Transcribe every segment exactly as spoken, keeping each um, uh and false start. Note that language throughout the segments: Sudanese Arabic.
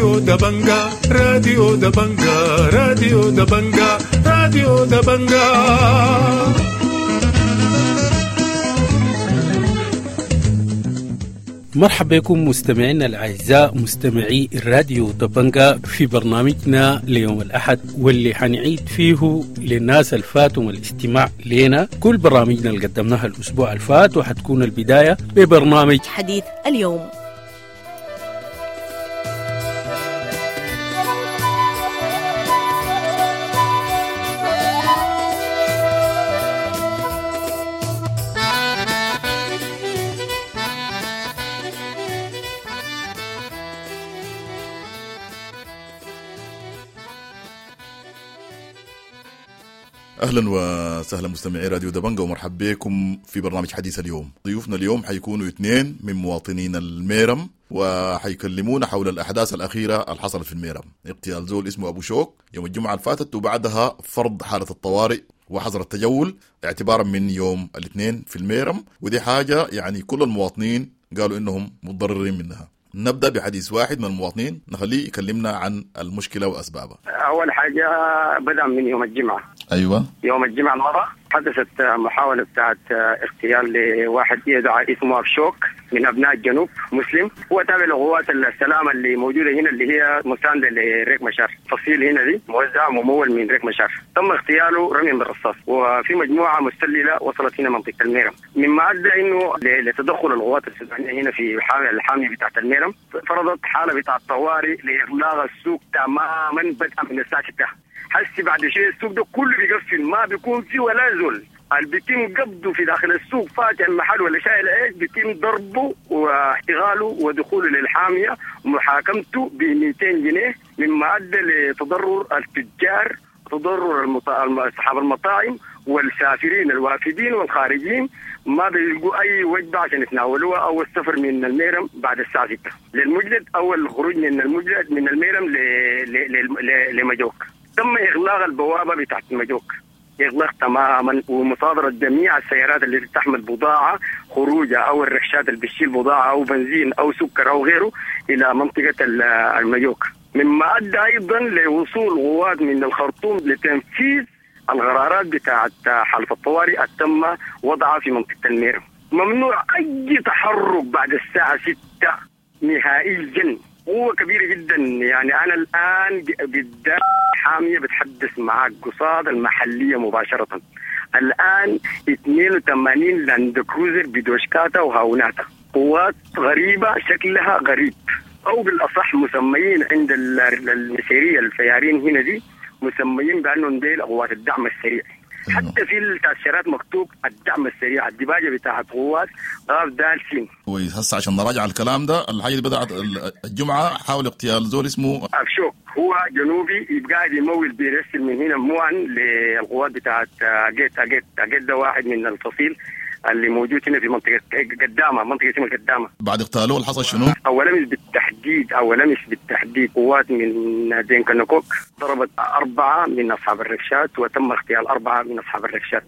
راديو دبنجا راديو دبنجا راديو دبنجا راديو دبنجا. مرحبا بكم مستمعينا الأعزاء مستمعي الراديو دبنجا في برنامجنا ليوم الأحد، واللي حنعيد فيه للناس الفاتهم الاستماع لنا كل برامجنا اللي قدمناها الأسبوع الفات، وحتكون البداية ببرنامج حديث اليوم. اهلا وسهلا مستمعي راديو دبنجا، ومرحبا بكم في برنامج حديث اليوم. ضيوفنا اليوم حيكونوا اثنين من مواطنين الميرم، وحيكلمونا حول الاحداث الاخيرة اللي حصلت في الميرم، اغتيال زول اسمه ابو شوك يوم الجمعة اللي فاتت، وبعدها فرض حاله الطوارئ وحظر التجول اعتبارا من يوم الاثنين في الميرم، ودي حاجة يعني كل المواطنين قالوا انهم متضررين منها. نبدأ بحديث واحد من المواطنين نخليه يكلمنا عن المشكلة وأسبابها. أول حاجة بدأ من يوم الجمعة. أيوة، يوم الجمعة الماضي حدثت محاولة بتاعت اغتيال لواحد يدعى اسمه أبشوك من أبناء الجنوب، مسلم، هو تابع لقوات السلامة اللي موجودة هنا اللي هي مساندة لريك مشار، فصيل هنا دي موزع ممول من ريك مشار. تم اغتياله رميا بالرصاص، وفي مجموعة مستللة وصلت هنا منطقة الميرم، مما أدى إنه لتدخل القوات السودانية هنا في الحامية بتاعت الميرم، فرضت حالة بتاعت طوارئ لإغلاق السوق تماما بدءا من الساعة ستة. حسي بعد شيء السوق ده كله بيقفل، ما بيكون فيه ولا زول. اللي بيتم قبضه في داخل السوق فاتح المحل ولا شايل عيش بيتم ضربه واحتغاله ودخوله للحامية ومحاكمته ب مئتين جنيه، مما أدى لتضرر التجار، تضرر أصحاب المطاعم والسافرين الوافدين والخارجين، ما بيلقوا أي وجبة عشان يتناولوها أو السفر من الميرم بعد الساعة ستة للمجلد أو الخروج من المجلد من الميرم لمجوك. تم إغلاق البوابة بتاعت مجوك إغلاق تماما، ومصادرة جميع السيارات اللي تحمل بضاعة خروجها أو الركشات اللي بتشيل بضاعة أو بنزين أو سكر أو غيره إلى منطقة المجوك، مما أدى أيضا لوصول قوات من الخرطوم لتنفيذ القرارات بتاعت حالة الطوارئ تم وضعها في منطقة الميرم. ممنوع أي تحرك بعد الساعة ستة نهائيا. قوة كبيرة جدا، يعني أنا الآن بالذات حامية بتحدث معك قصاد المحلية مباشرة. الآن اثنين وثمانين لاند كروزر بدوشكاتا وهاوناتا، قوات غريبة شكلها غريب، أو بالأصح مسميين عند المسيرية الفيارين هنا دي مسميين بأنهم ديل قوات الدعم السريع. حتى في التأشيرات مكتوب الدعم السريع، الدباجة بتاعت قوات غاف دال سين. كويس، هسه عشان نراجع الكلام ده، الحاجة اللي بدأت الجمعة حاول اغتيال زول اسمه أبشوك، هو جنوبي يبقى قاعد يمول بيرسل من هنا موان للقوات بتاعت جيت جيت جيت ده واحد من الفصيل اللي موجود هنا في منطقة قدامة، منطقة اسمها قدامة. بعد اغتياله اللي حصل شنو؟ أول أمس بالتحديد، أول أمس بالتحديد قوات من دينكا نقوك ضربت أربعة من أصحاب الركشات، وتم اغتيال أربعة من أصحاب الركشات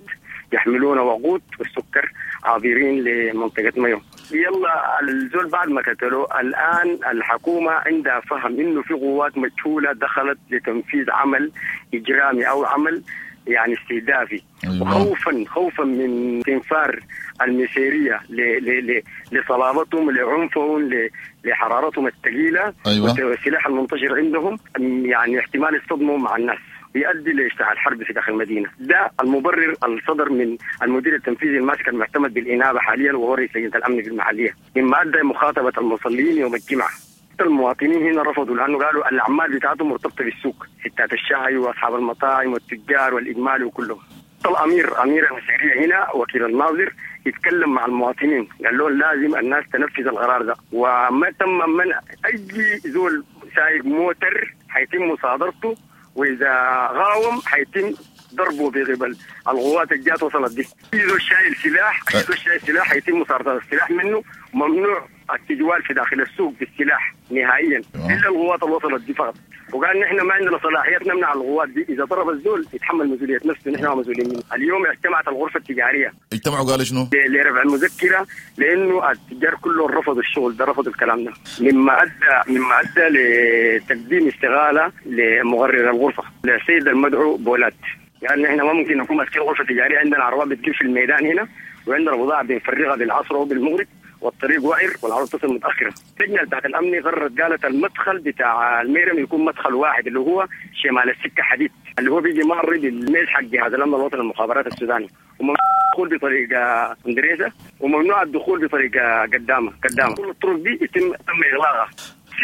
يحملون وقود والسكر عابرين لمنطقة مايو. يلا الزول بعد ما قتلوه، الآن الحكومة عندها فهم إنه في قوات مجهولة دخلت لتنفيذ عمل إجرامي أو عمل يعني استهدافي. أيوة. وخوفا خوفا من استنفار المسيرية لصلابتهم، لعنفهم، لحرارتهم الثقيلة. أيوة. والسلاح المنتشر عندهم، يعني احتمال يصطدموا مع الناس يؤدي لاشتعال حرب في داخل المدينة. ده المبرر الصدر من المدير التنفيذي الماسك المعتمد بالإنابة حاليا وهو رئيس لجنة الأمن في المحلية، مما أدى مخاطبة المصلين يوم الجمعة. المواطنين هنا رفضوا لأنه قالوا الأعمال بتاعتهم مرتبطة بالسوق، ستات الشاي وأصحاب المطاعم والتجار والإجمال وكلهم. الأمير أمير المسيرية هنا وكيل الناظر يتكلم مع المواطنين، قال لهم لازم الناس تنفذ القرار ده، وما تم منع أي زول سايق موتر حيتم مصادرته، وإذا غاوم حيتم ضربه بقبل القوات الجات وصلت دي. اي زول شايل سلاح، اي زول شايل سلاح يتم مصادرة السلاح منه، ممنوع التجوال في داخل السوق بالسلاح نهائيا الا القوات اللي وصلت دي فقط. وقال نحن ما عندنا صلاحيات نمنع القوات دي، اذا ضرب الزول يتحمل مسؤولية نفسه، نحن ما مسؤولين منه. اليوم اجتمعت الغرفة التجارية، اجتمعوا قالوا شنو؟ لرفع المذكرة، لانه التجار كلهم رفضوا الشغل ده، رفضوا الكلام ده، مما ادى مما ادى لتقديم استغاله لمغرر الغرفة للسيد المدعو بولات. يعني نحن ما ممكن نكون ماسكين غرفة تجارية، عندنا عربات بتجيب في الميدان هنا، وعندنا بضاعة بنفرغها بالعصر وبالمغرب، والطريق وعر والعروض تصل متاخرة. اللجنة بتاعت الامن قررت، قالت المدخل بتاع الميرم يكون مدخل واحد اللي هو شمال السكة حديد، اللي هو بيجي مار بالميز حق جهاز الامن الوطني للمخابرات السوداني، وممنوع الدخول بطريقة اندريسه، وممنوع الدخول بطريقة قدامه قدامه. كل الطرق دي يتم تم اغلاقها.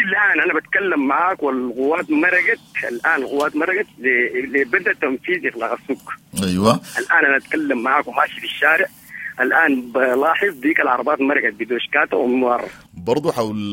الان انا بتكلم معاك والقوات مرقت، الان القوات مرقت لبدء تنفيذ اغلاق السوق. ايوه الان انا اتكلم معاك وماشي في الشارع الان، بلاحظ ديك العربات مرقت بدوشكاته وموار. برضو حول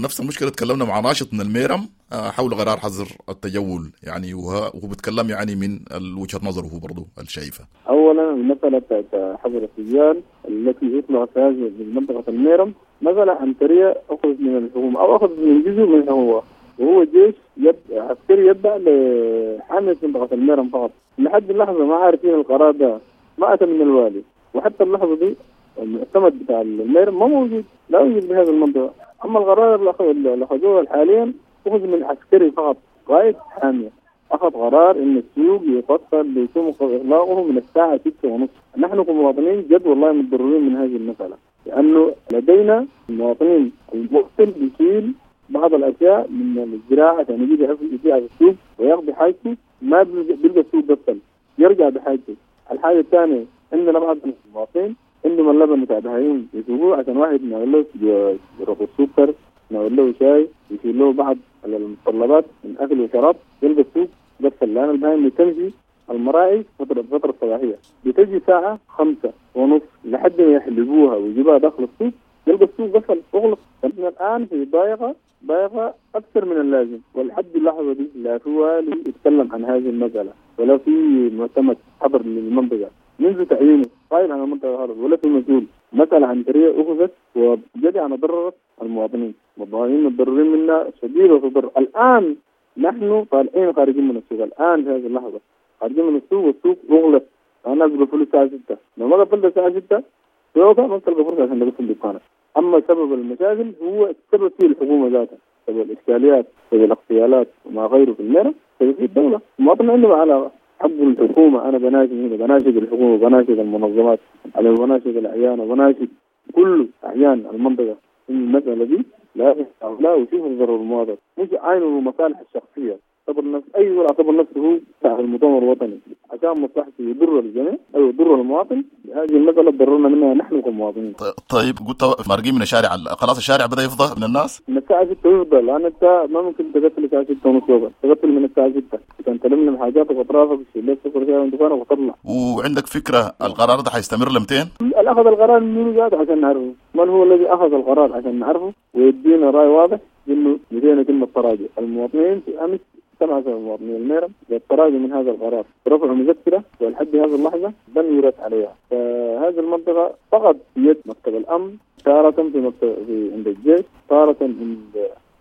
نفس المشكلة تكلمنا مع ناشط من الميرم حول قرار حظر التجول، يعني وهو بيتكلم يعني من وجهه نظره هو برضو الشايفه. اولا المسالة بتاعت حظر التجوال التي اطلقت في هذه منطقة الميرم مسالة عنتريه اخذت من الحكومة او اخذت من جزء منها هو، وهو جيش يد عسكري يتبع لحاميه منطقة الميرم فقط. لحد اللحظة ما عارفين القرار ده ما اتى من الوالي، وحتى اللحظة دي المعتمد بتاع الميرم ما موجود، لا يوجد بهذه المنطقة. أما القرار اللي أخذوه حاليا أخذ من عسكري فقط، قائد حامية أخذ قرار إن السوق يقفل بيتم إغلاقه من الساعة ستة ونصف. نحن كمواطنين جد والله متضررين من هذه المسألة، لأنه لدينا المواطنين المقتل بيشيل بعض الأشياء من الزراعة عشان يجيب يبيعها في السوق ويقضي حاجته، ما بيلقى السوق قفل يرجع بحاجته. الحاجة الثانية عندنا بعض المواطنين عندهم اللبن بتاع بهايم يسوقوه عشان واحد نعمل له رب السكر، نعمل له شاي، يشيل له بعض المتطلبات من اكل وشراب، يلقى السوق قفل. لان البهايم بتمشي المراعي فترة فترة الصباحية بتجي ساعة خمسة ونص لحد ما يحلبوها ويجيبوها داخل السوق، يلقى السوق قفل اغلق. فنحن الان في ضايقه ضايقه اكثر من اللازم، ولحد اللحظة دي لا في والي يتكلم عن هذه المسالة ولا في معتمد حضر للمنطقة منذ تعيينه قائل عن المنطقة هذا، ولا في مسؤول. مسألة عنترية أخذت وبجد أنا ضررت المواطنين، المواطنين متضررين منا شديد وتضرر. الآن نحن طالعين خارجين من السوق، الآن في هذه اللحظة خارجين من السوق والسوق أغلق. الناس بيقفلوا الساعة ستة، لو ما قفلت الساعة ستة سوق ما بتلقى فرصة عشان تقفل دكانك. أما سبب المشاكل هو السبب فيه الحكومة ذاتها، سبب الإشكاليات، سبب الاغتيالات وما غيره في الميرم، سبب فيه الدولة. المواطن عنده علاقة حق الحكومة. أنا بناشد هنا، بناشد الحكومة، بناشد المنظمات، على بناشد الأعيان، وبناشد كل أعيان المنطقة إن المسألة دي لا لا وشوفوا ضرر المواطن، مش عينوا المصالح الشخصية. اعتبر نفس أي زول اعتبر نفسه هو بتاع المؤتمر الوطني عشان مصلحته يضر الجميع أو يضر المواطن. هذه المسألة ضررنا منها نحن كمواطنين. طيب قلت مارقين من الشارع، خلاص الشارع بدأ يفضى من الناس؟ من الساعة ستة يفضى، لأن أنت ما ممكن تقفل الساعة ستة ونص، تقفل من الساعة ستة عشان تلملم حاجاتك وأطرافك وتشيل لك سكر شاي من دكانك وتطلع. وعندك فكرة القرار ده حيستمر لمتين؟ أخذ القرار من ذاته عشان نعرفه، من هو الذي أخذ القرار عشان نعرفه ويدينا رأي واضح إنه متين يتم التراجع. المواطنين في أمس سمعت المواطنين الميرم للتراجع من هذا القرار، رفعوا مذكرة ولحد هذه اللحظة لم يرد عليها. فهذه المنطقة فقط يد مكتب الأمن، تارة في مكتب في عند الجيش، تارة عند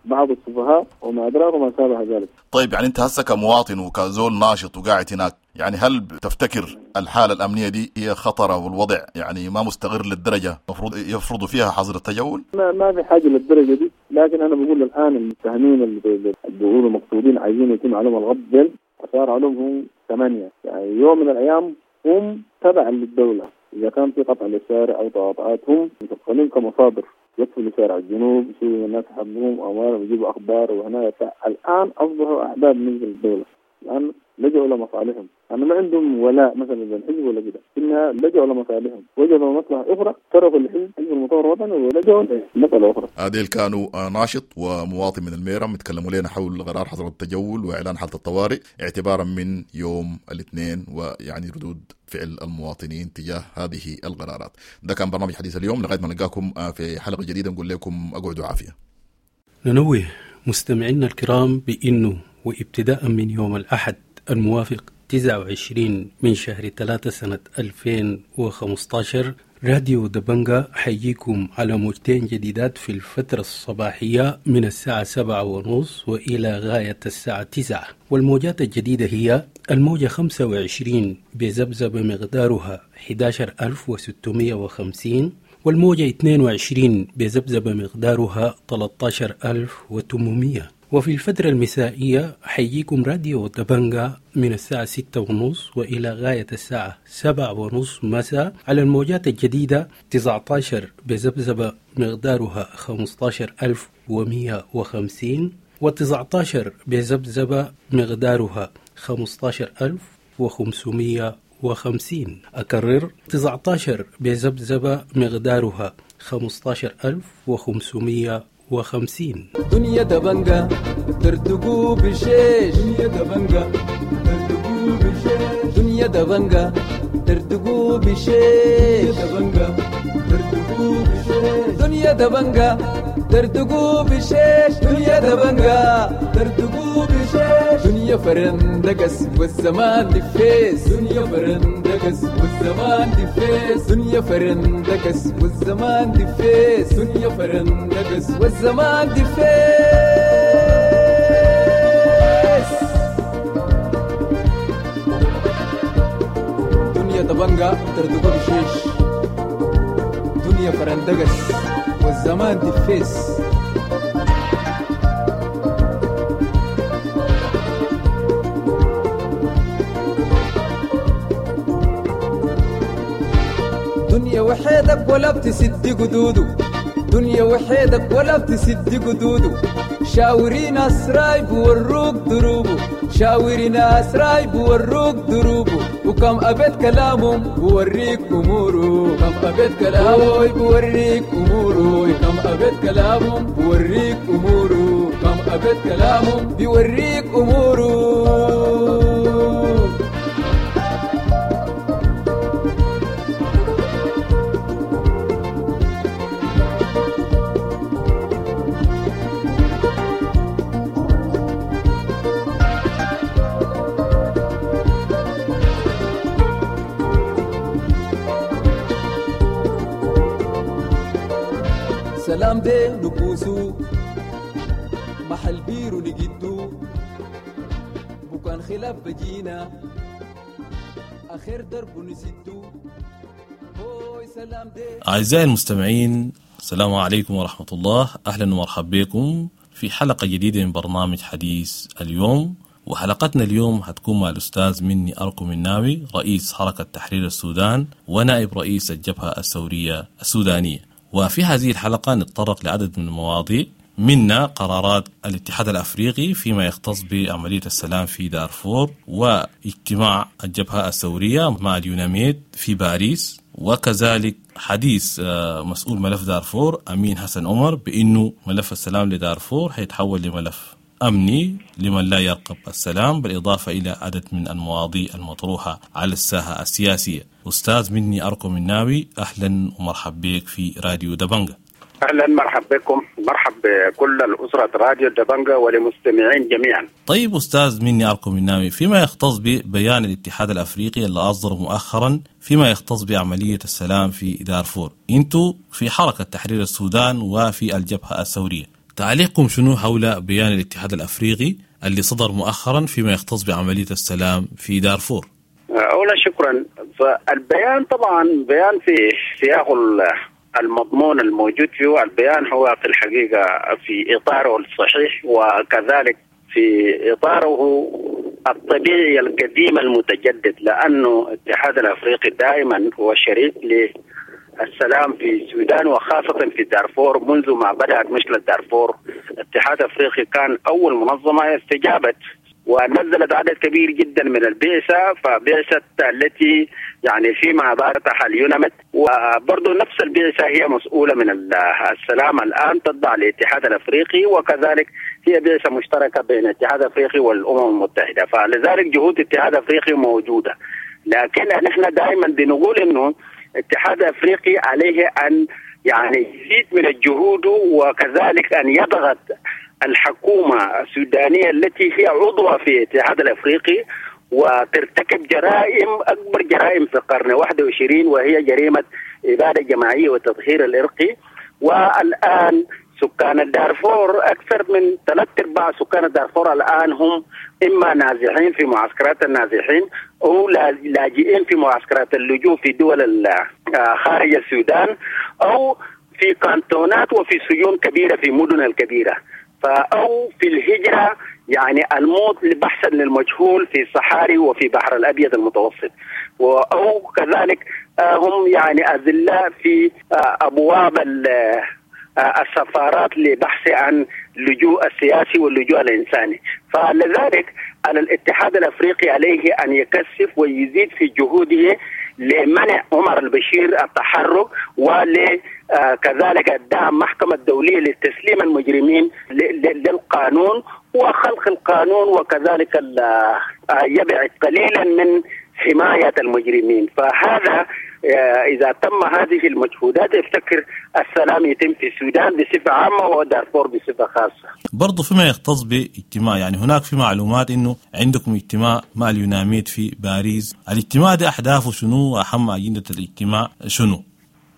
بعض السفهاء وما أدراك وما شابه ذلك. طيب يعني أنت هسه كمواطن وكزول ناشط وقاعد هناك، يعني هل تفتكر الحالة الأمنية دي هي خطرة والوضع يعني ما مستقر للدرجة المفروض يفرضوا فيها حظر التجول؟ ما, ما في حاجة للدرجة دي، لكن أنا بقول الآن المتهمين اللي بيقولوا مقصودين عايزين يتم عليهم الغض، صار عليهم هم ثمانية، يعني يوم من الأيام هم تبعا للدولة. إذا كان في قطع للشارع أو تقاطعات هم متدخلين كمصادر، يدخلوا شارع الجنوب يشيلوا الناس حقهم أموالهم ويجيبوا أخبار وهنا. الآن أصبحوا أعداء بالنسبة للدولة، الآن لجأوا لمصالحهم، أنا ما عندهم ولاء مثلا للحزب ولا كده، إنها لجأوا لمصالحهم، وجدوا مصلحة أخرى تركوا الحزب حزب المؤتمر الوطني ولجأوا لمسألة أخرى. هذيل كانوا ناشط ومواطن من الميرم يتكلموا لنا حول قرار حظر التجول وإعلان حالة الطوارئ اعتبارا من يوم الاثنين، ويعني ردود فعل المواطنين تجاه هذه القرارات. ده كان برنامج حديث اليوم، لغاية ما نلقاكم في حلقة جديدة نقول لكم أقعدوا عافية. ننوه مستمعينا الكرام بأنه وابتداء من يوم الأحد الموافق تسعة وعشرين من شهر ثلاثة سنة ألفين وخمستاشر. راديو دبنجا حيجيكم على موجتين جديدات في الفترة الصباحية من الساعة سبعة ونص وإلى غاية الساعة تسعة، والموجات الجديدة هي الموجة خمسة وعشرين بذبذبة مقدارها أحد عشر ألف وستمائة وخمسين، والموجة اثنين وعشرين بذبذبة مقدارها ثلاثة عشر ألف وثمانمائة. وفي الفترة المسائية حيجيكم راديو دبنجا من الساعة ستة ونص وإلى غاية الساعة سبعة ونص مساء على الموجات الجديدة تسعة عشر بذبذبة مقدارها خمسة عشر ألف ومئة وخمسين، وتسعة عشر بذبذبة مقدارها خمسة عشر ألف وخمسمائة وخمسين. أكرر، تسعة عشر بذبذبة مقدارها خمسة عشر ألف وخمسمائة وخمسين. دنيا دبنجا ترتقو بشيش، دنيا دبنجا ترتقو بشيش، دنيا دبنجا ترتقو بشيش، دبنجا ترتقو بشيش، دنيا دبنجا ترتقو بشيش، دنيا دبنجا ترتقو بشيش، دنيا فرندقس والزمان دفيس، دنيا فرندقس والزمان دفيس، دنيا فرندقس والزمان دفيس، دنيا فرندقس والزمان دفيس. دنيا دبنجا ترتقو بشيش، دنيا فرندقس والزمان دفيس. دنيا وحيدك ولا بتسد قدوده، دنيا وحيدك ولا بتسد قدوده، شاوري ناس رايب وروك دروبه، شاوري ناس رايب وروك دروبه، وكم أبيت كلامهم بوريك أموره، كم أبيت كلامه بوريك أموره، كم أبيت كلامهم بوريك أموره، كم أبيت كلامهم بوريك أموره. سلام دي نبوسو محل بيرو نجدو بكان خلاف بجينا آخر درب نسدو. سلام دي. أعزائي المستمعين، السلام عليكم ورحمة الله. أهلا ومرحبا بكم في حلقة جديدة من برنامج حديث اليوم. وحلقتنا اليوم هتكون مع الأستاذ مني أركو مناوي، رئيس حركة تحرير السودان ونائب رئيس الجبهة الثورية السودانية. وفي هذه الحلقة نتطرق لعدد من المواضيع، منها قرارات الاتحاد الأفريقي فيما يختص بعملية السلام في دارفور، واجتماع الجبهة الثورية مع اليوناميد في باريس، وكذلك حديث مسؤول ملف دارفور أمين حسن عمر بأنه ملف السلام لدارفور هيتحول لملف أمني لمن لا يرقب السلام، بالإضافة إلى عدد من المواضيع المطروحة على الساحة السياسية. أستاذ مني أركو مناوي، أهلا ومرحب بك في راديو دبنجا. أهلا، مرحب بكم، مرحب بكل الأسرة راديو دبنجا وللمستمعين جميعا. طيب أستاذ مني أركو مناوي، فيما يختص ببيان الاتحاد الأفريقي اللي أصدر مؤخرا فيما يختص بعملية السلام في دارفور، أنتوا في حركة تحرير السودان وفي الجبهة الثورية، تعليقكم شنو حول بيان الاتحاد الأفريقي اللي صدر مؤخرا فيما يختص بعملية السلام في دارفور؟ أولا شكرا. فالبيان طبعا بيان في سياق المضمون الموجود فيه، البيان هو في الحقيقة في إطاره الصحيح وكذلك في إطاره الطبيعي القديم المتجدد، لأنه الاتحاد الأفريقي دائما هو شريك للسلام في السودان وخاصة في دارفور. منذ ما بدأت مشكلة دارفور الاتحاد الأفريقي كان أول منظمة استجابت ونزلت عدد كبير جدا من البعثة، فبعثة التي يعني فيما بعدها اليوناميد، وبرضه نفس البعثة هي مسؤولة من السلام الآن تتبع للاتحاد الأفريقي، وكذلك هي بعثة مشتركة بين الاتحاد الأفريقي والأمم المتحدة، فلذلك جهود الاتحاد الأفريقي موجودة. لكن نحن دائما بنقول إنه الاتحاد الأفريقي عليه أن يعني يزيد من الجهود، وكذلك أن يضغط الحكومة السودانية التي هي عضوة في الاتحاد الأفريقي وترتكب جرائم أكبر جرائم في القرن واحد وعشرين، وهي جريمة إبادة جماعية وتطهير الإرقي. والآن سكان الدارفور أكثر من ثلاث أرباع سكان الدارفور الآن هم إما نازحين في معسكرات النازحين أو لاجئين في معسكرات اللجوء في دول خارج السودان، أو في كانتونات وفي سجون كبيرة في مدن الكبيرة، أو في الهجرة يعني الموت بحثا للمجهول في الصحاري وفي بحر الأبيض المتوسط، أو كذلك هم يعني أذلاء في أبواب السفارات لبحث عن اللجوء السياسي واللجوء الإنساني. فلذلك على الاتحاد الأفريقي عليه أن يكثف ويزيد في جهوده لمنع عمر البشير التحرك، ولكذلك الدعم محكمة الدولية لتسليم المجرمين للقانون وخلق القانون، وكذلك يبعد قليلا من حماية المجرمين. فهذا إذا تم هذه المجهودات افتكر السلام يتم في السودان بصفة عامة ودارفور بصفة خاصة. برضو فيما يختص باجتماع، يعني هناك في معلومات إنه عندكم اجتماع مع اليوناميد في باريس، الاجتماع ده أهدافه شنو وأهم أجندة الاجتماع شنو؟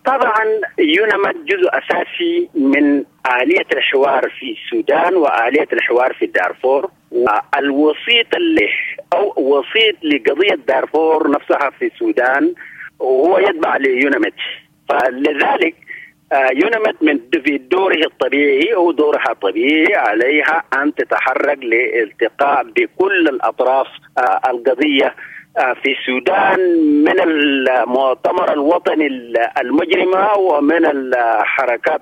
طبعا يوناميد جزء أساسي من آلية الحوار في السودان وآلية الحوار في دارفور، والوسيط اللي أو وسيط لقضية دارفور نفسها في السودان وهو يتبع ليوناميد. فلذلك يوناميد من في دوره الطبيعي أو دورها الطبيعي عليها أن تتحرك لالتقاء بكل الأطراف القضية في السودان، من المؤتمر الوطني المجرمة ومن الحركات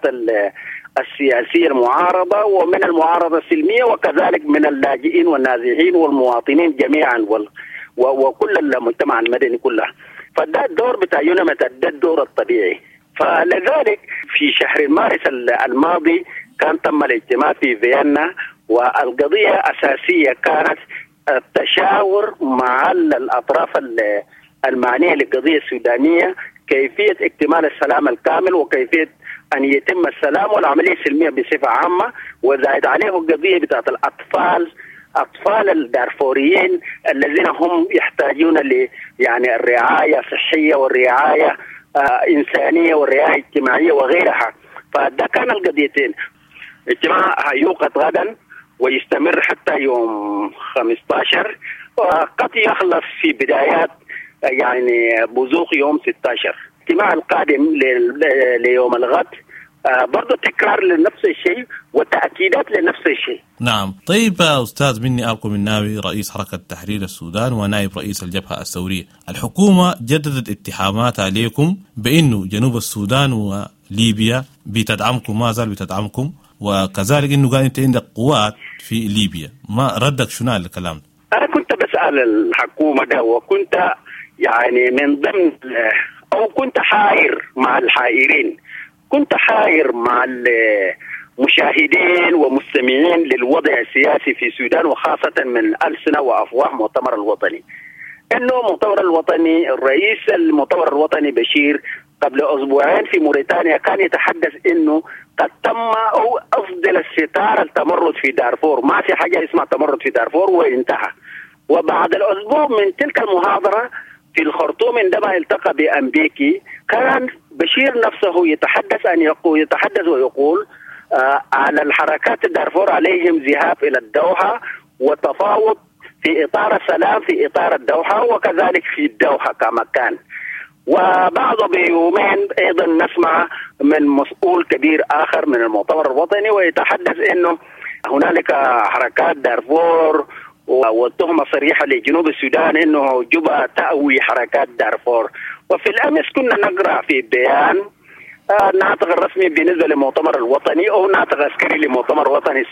السياسية المعارضة ومن المعارضة السلمية، وكذلك من اللاجئين والنازحين والمواطنين جميعا وكل المجتمع المدني كله. فده الدور بتاع يوناميد، ده الدور الطبيعي. فلذلك في شهر مارس الماضي كان تم الاجتماع في فيينا، والقضية أساسية كانت التشاور مع الأطراف المعنية للقضية السودانية كيفية اكتمال السلام الكامل وكيفية أن يتم السلام والعملية السلمية بصفة عامة، وزائد عليه القضية بتاعت الأطفال، أطفال الدارفوريين الذين هم يحتاجون ل يعني الرعاية الصحية والرعاية آه إنسانية والرعاية الاجتماعية وغيرها. فده كان القضيتين. اجتماع هيوقد غدا ويستمر حتى يوم خمسة عشر، وقد يخلص في بدايات يعني بزوق يوم ستة عشر. الاجتماع القادم ليوم الغد برضو تكرار لنفس الشيء وتأكيدات لنفس الشيء. نعم. طيب أستاذ مني أركو مناوي، رئيس حركة تحرير السودان ونائب رئيس الجبهة الثورية، الحكومة جددت اتهامات عليكم بأنه جنوب السودان وليبيا بتدعمكم، ما زال بتدعمكم، وكذلك أنه قال أنت عندك قوات في ليبيا، ما ردك شنو على الكلام؟ أنا كنت بسأل الحكومة ده، وكنت يعني من ضمن أو كنت حائر مع الحائرين، كنت حائر مع المشاهدين ومستمعين للوضع السياسي في السودان، وخاصة من ألسنة وأفواه مؤتمر الوطني. إنه مؤتمر الوطني، الرئيس المؤتمر الوطني بشير قبل أسبوعين في موريتانيا كان يتحدث إنه قد تم أو أفضل الستار التمرد في دارفور، ما في حاجة اسمها تمرد في دارفور وانتهى. وبعد الأسبوع من تلك المحاضرة في الخرطوم عندما التقى بأمبيكي كان بشير نفسه يتحدث أن يقول يتحدث ويقول آه على الحركات الدارفور عليهم ذهاب إلى الدوحة وتفاوض في إطار السلام في إطار الدوحة وكذلك في الدوحة كما كان. وبعد بيومين أيضا نسمع من مسؤول كبير آخر من المؤتمر الوطني ويتحدث أنه هنالك حركات دارفور والتهمة صريحة لجنوب السودان أنه جوبا تأوي حركات دارفور. وفي الأمس كنا نقرأ في بيان ناطق الرسمي بالنسبة للمؤتمر الوطني أو ناطق عسكري لمؤتمر وطني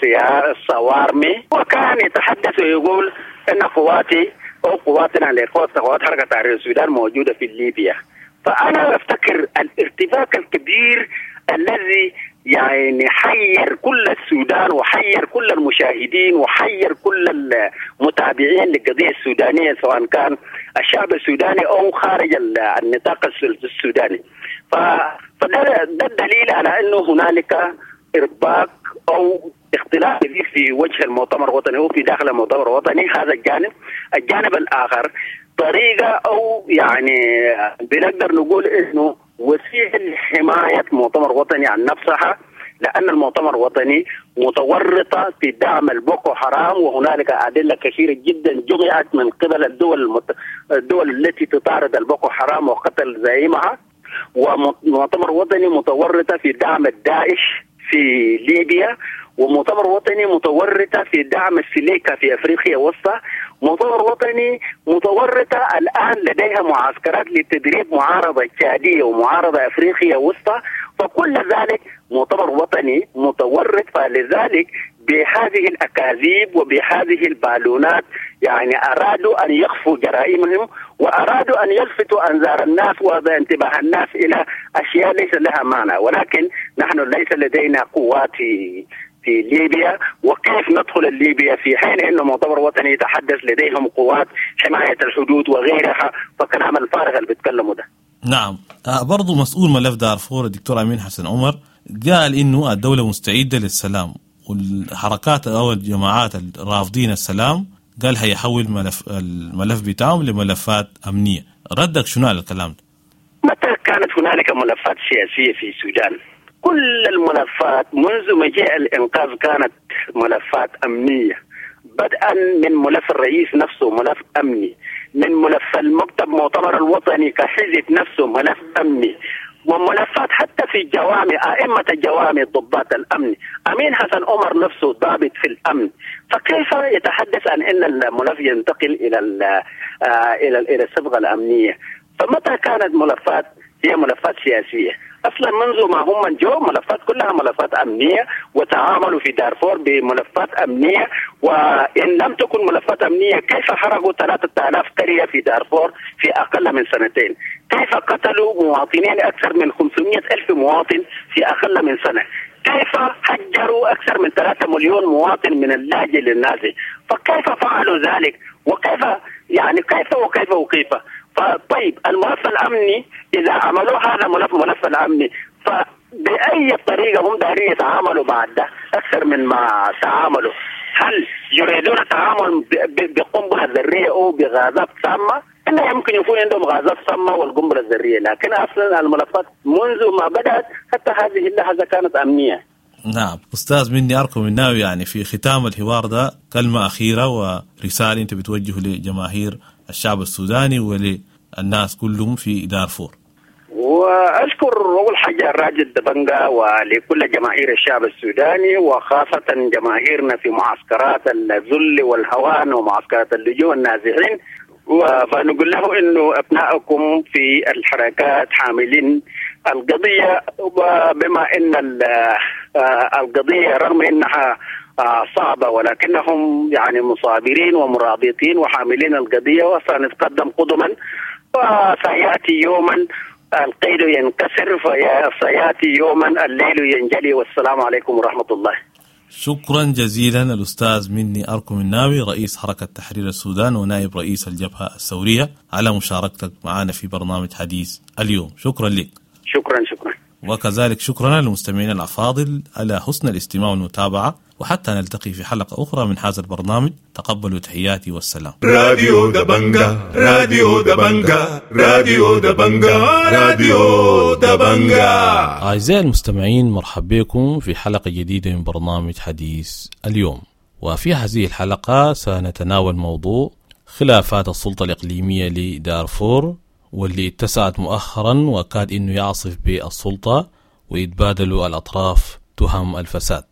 الصوارمي، وكان يتحدث ويقول أن قواتي أو قواتنا لقوات قوات حركة تحرير السودان موجودة في ليبيا. فأنا أفتكر الارتباك الكبير الذي يعني حير كل السودان وحير كل المشاهدين وحير كل المتابعين للقضية السودانية سواء كان الشعب السوداني أو خارج النطاق السوداني. فده الدليل على أنه هنالك إرباك أو اختلاف كبير في وجه المؤتمر الوطني وفي داخل المؤتمر الوطني. هذا الجانب. الجانب الآخر طريقة أو يعني بنقدر نقول إنه وسيلة لحماية مؤتمر وطني عن نفسها، لأن المؤتمر الوطني متورطة في دعم البوكو حرام، وهنالك أدلة كثيرة جدا جمعت من قبل الدول المت... الدول التي تطارد البوكو حرام وقتل زعيمها. ومؤتمر وطني متورطة في دعم الداعش في ليبيا، ومؤتمر وطني متورطة في دعم السليكا في أفريقيا وسطى، مؤتمر وطني متورطة الآن لديها معسكرات لتدريب معارضة تشادية ومعارضة أفريقيا وسطى. فكل ذلك مؤتمر وطني متورط. فلذلك بهذه الأكاذيب وبهذه البالونات يعني أرادوا أن يخفوا جرائمهم، وأرادوا أن يلفتوا أنظار الناس وانتباه الناس إلى أشياء ليس لها معنى. ولكن نحن ليس لدينا قوات في في ليبيا، وكيف ندخل ليبيا في حين أنه مؤتمر وطني يتحدث لديهم قوات حماية الحدود وغيرها؟ فكلام الفارغ اللي بيتكلموا ده. نعم، برضو مسؤول ملف دارفور الدكتور أمين حسن عمر قال إنه الدولة مستعدة للسلام، والحركات أو الجماعات الرافضين السلام قال هيحول ملف الملف بتاعهم لملفات أمنية. ردك شنو على الكلام ده؟ متى كانت هنالك ملفات سياسية في السودان؟ كل الملفات منذ مجيء الإنقاذ كانت ملفات أمنية، بدءا من ملف الرئيس نفسه ملف أمني، من ملف المكتب مؤتمر الوطني كحزب نفسه ملف أمني، وملفات حتى في الجوامع، أئمة الجوامع ضباط الأمن، أمين حسن عمر نفسه ضابط في الأمن. فكيف يتحدث عن أن الملف ينتقل إلى إلى إلى الصبغة الأمنية؟ فمتى كانت ملفات هي ملفات سياسية؟ أصلا منذ ما هم جو ملفات كلها ملفات أمنية، وتعاملوا في دارفور بملفات أمنية. وإن لم تكن ملفات أمنية كيف حرقوا ثلاثة آلاف قرية في دارفور في أقل من سنتين؟ كيف قتلوا مواطنين أكثر من خمسمائة ألف مواطن في أقل من سنة؟ كيف هجروا أكثر من ثلاثة مليون مواطن من اللاجئ للنازي؟ فكيف فعلوا ذلك؟ وكيف يعني كيف وكيف وكيف؟ فطيب الملف الأمني إذا عملوا هذا ملف ملف الأمني، فبأي طريقة هم دارين يتعاملوا بعد ده أكثر من ما تعاملوا؟ هل يريدون التعامل بقنبلة ذرية أو بغازات سامة؟ إنه يمكن يكون عندهم غازات سامة والقنبلة الذرية، لكن أصلا الملفات منذ ما بدأت حتى هذه اللحظة كانت أمنية. نعم أستاذ مني أركو مناوي، يعني في ختام الحوار ده كلمة أخيرة ورسالة أنت بتوجه لجماهير الشعب السوداني وللناس كلهم في دارفور. وأشكر أول حاجة الراجل دبنجا ولكل جماهير الشعب السوداني، وخاصة جماهيرنا في معسكرات الذل والهوان ومعسكرات اللجوء النازحين. فنقول له إنه أبنائكم في الحركات حاملين القضية، وبما إن القضية رغم إنها صعبة ولكنهم يعني مصابرين ومرابطين وحاملين القضية، وسنتقدم قدما، وسيأتي يوما القيد ينكسر، فسيأتي يوما الليل ينجلي. والسلام عليكم ورحمة الله. شكرا جزيلا الأستاذ مني أركو مناوي، رئيس حركة تحرير السودان ونائب رئيس الجبهة الثورية، على مشاركتك معنا في برنامج حديث اليوم. شكرا لك. شكرا شكرا. وكذلك شكرا للمستمعين الأفاضل على حسن الاستماع والمتابعة، وحتى نلتقي في حلقة أخرى من هذا البرنامج. تقبلوا تحياتي والسلام. راديو دبنجا، راديو دبنجا، راديو دبنجا، راديو دبنجا. أعزائي المستمعين، مرحبا بكم في حلقة جديدة من برنامج حديث اليوم. وفي هذه الحلقة سنتناول موضوع خلافات السلطة الإقليمية لدارفور، واللي اتسعت مؤخرا وكاد إنه يعصف بالسلطة ويتبادلوا الأطراف تهم الفساد.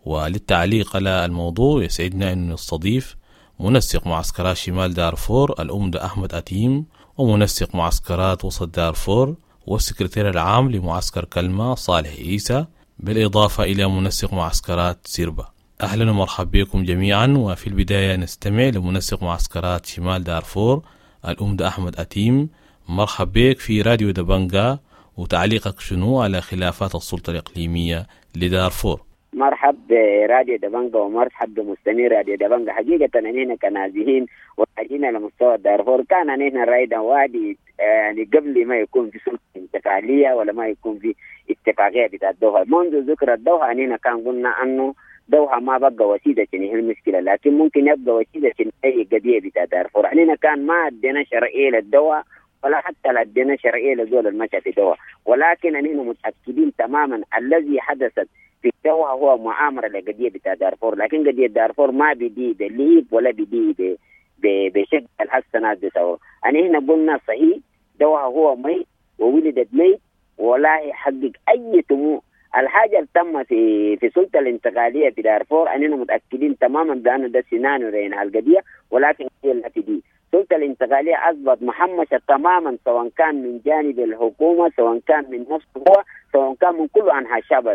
وللتعليق على الموضوع يسعدنا أن نستضيف منسق معسكرات شمال دارفور الأمدة أحمد أتيم، ومنسق معسكرات وسط دارفور والسكرتير العام لمعسكر كلمة صالح عيسى، بالإضافة إلى منسق معسكرات سيربا. أهلا ومرحبا بكم جميعا. وفي البداية نستمع لمنسق معسكرات شمال دارفور الأمدة أحمد أتيم. مرحبا بك في راديو دبنجا، وتعليقك شنو على خلافات السلطة الإقليمية لدارفور؟ مرحب براديو دبنجا ومرحب بمستمعي راديو دبنجا. حقيقة نحن كنازحين وحاجين على مستوى دارفور كان نحن رايدا وادي يعني قبل ما يكون في سلطة انتقالية ولا ما يكون في اتفاقية بتاع الدوحة. منذ ذكر الدوحة نحن كان قلنا أنه دوحة ما بقى وسيلة عشان يحل المشكلة، لكن ممكن يبقى وسيلة عشان أي قضية بتاع دارفور. علينا كان ما أدينا شرعية للدواء ولا حتى لا أدينا شرعية لزول المشى في دوحة، ولكن أننا متأكدين تماما الذي حدثت في دوحة هو مؤامرة لقضية بتاع دارفور، لكن قضية دارفور ما بدي بليب ولا بدي بشكل الحسنات بتاعه. أنا هنا قلنا صحيح دوحة هو ميت وولدت ميت ولا يحقق أي طموح. الحاجة اللي تم في في السلطة الانتقالية في دارفور أننا متأكدين تماما بأن ده سيناريو لإنهاء القضية، ولكن هي التي دي السلطة الانتقالية أصبحت محمشة تماما، سواء كان من جانب الحكومة، سواء كان من نفسه هو، سواء كان من كل أنحاء الشعب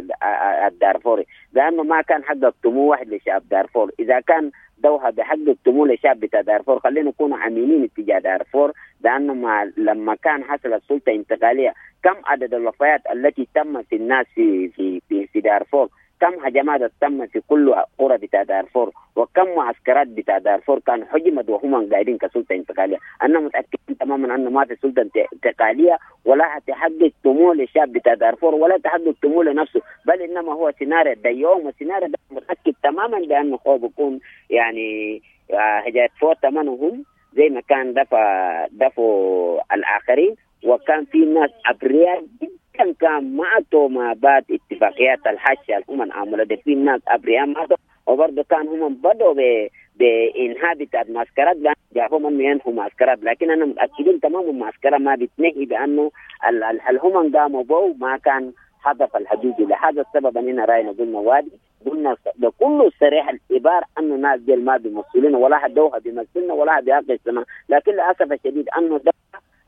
الدارفوري، لأنه ما كان حقق طموح واحد لشعب دارفور. إذا كان دوحة بحقق طموح لشعب بتاع دارفور خلينا نكون أمينين اتجاه دارفور، لأنه ما لما كان حصل السلطة الانتقالية كم عدد الوفيات التي تم في الناس في في في, في دارفور، كم هجمات تم في كل قرى بتاع دارفور، وكم معسكرات بتاع دارفور كان حجمت وهم قاعدين كسلطة انتقالية. أنا متأكد تماما أنه ما في سلطة انتقالية ولا تحقق طموح للشعب بتاع دارفور ولا تحقق طموح لنفسه، بل إنما هو سيناريو ده يوم، وسيناريو ده متأكد تماما بأنه هو بيكون يعني هجات فوق ثمنهم زي ما كان دفع دفعوا الآخرين، وكان في ناس أبرياء جدا كان ماتوا ما بعد اتفاقيات الحاشية الأمم عملوا ده، في ناس أبرياء ماتوا، وبرضه كان هم بدوا بإنهاء بتاعت معسكرات، لأن جابهم إنه ينهوا معسكرات، لكن أنا متأكدين تماما المعسكرات ما بتنهي بأنه الهمم قاموا بو ما كان هدف الحقيقي. لهذا السبب أننا رأينا قلنا وادي قلنا بكل صريح العبارة أنه ناس ديل ما بيمثلنا ولا حد بيمثلنا ولا بيحق السماء، لكن للأسف الشديد أنه ده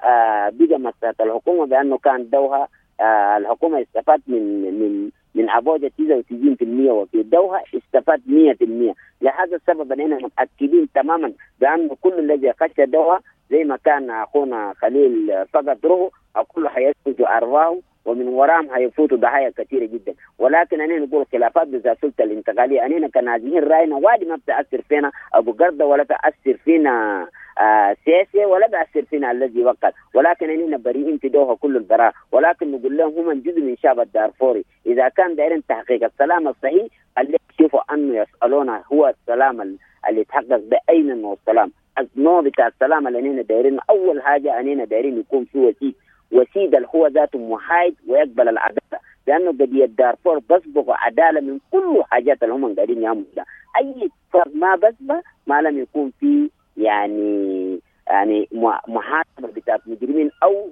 آه بقى مسألة الحكومة بأنه كان دوها آه الحكومة استفاد من من من أبوجة تسعة وتسعين بالمئة وفي دوها استفاد مئة بالمئة. لهذا السبب أننا متأكدين تماما بأنه كل الذي خش دوها زي ما كان أخونا خليل فقد روحه كله حيسجد أرواحه ومن وراهم هيفوتوا ضحايا كثيرة جدا. ولكن أنا نقول خلافات بذات السلطة الانتقالية أننا كنازحين رأينا وادي ما بتأثر فينا أبو قردة ولا تأثر فينا آه سياسي ولا بأثر فينا الذي وقع، ولكن أننا بريئين في دوها كل البراء. ولكن نقول لهم هم جزء من شعب الدارفوري، إذا كان دايرين تحقيق السلام الصحيح اللي يشوفوا أنه يسألونا هو السلام اللي يتحقق بأين نوع السلام، النوع بتاع السلام اللي أننا دايرين. أول حاجة أننا دايرين يكون في وسيط، وسيد اللي هو ذاته محايد ويقبل العدالة، لأنه قضية دارفور بسبق عدالة من كل حاجات اللي هم قاعدين يعملوا. أي فرق ما بسبق ما لم يكون في يعني يعني محاسبة بتاعت مجرمين أو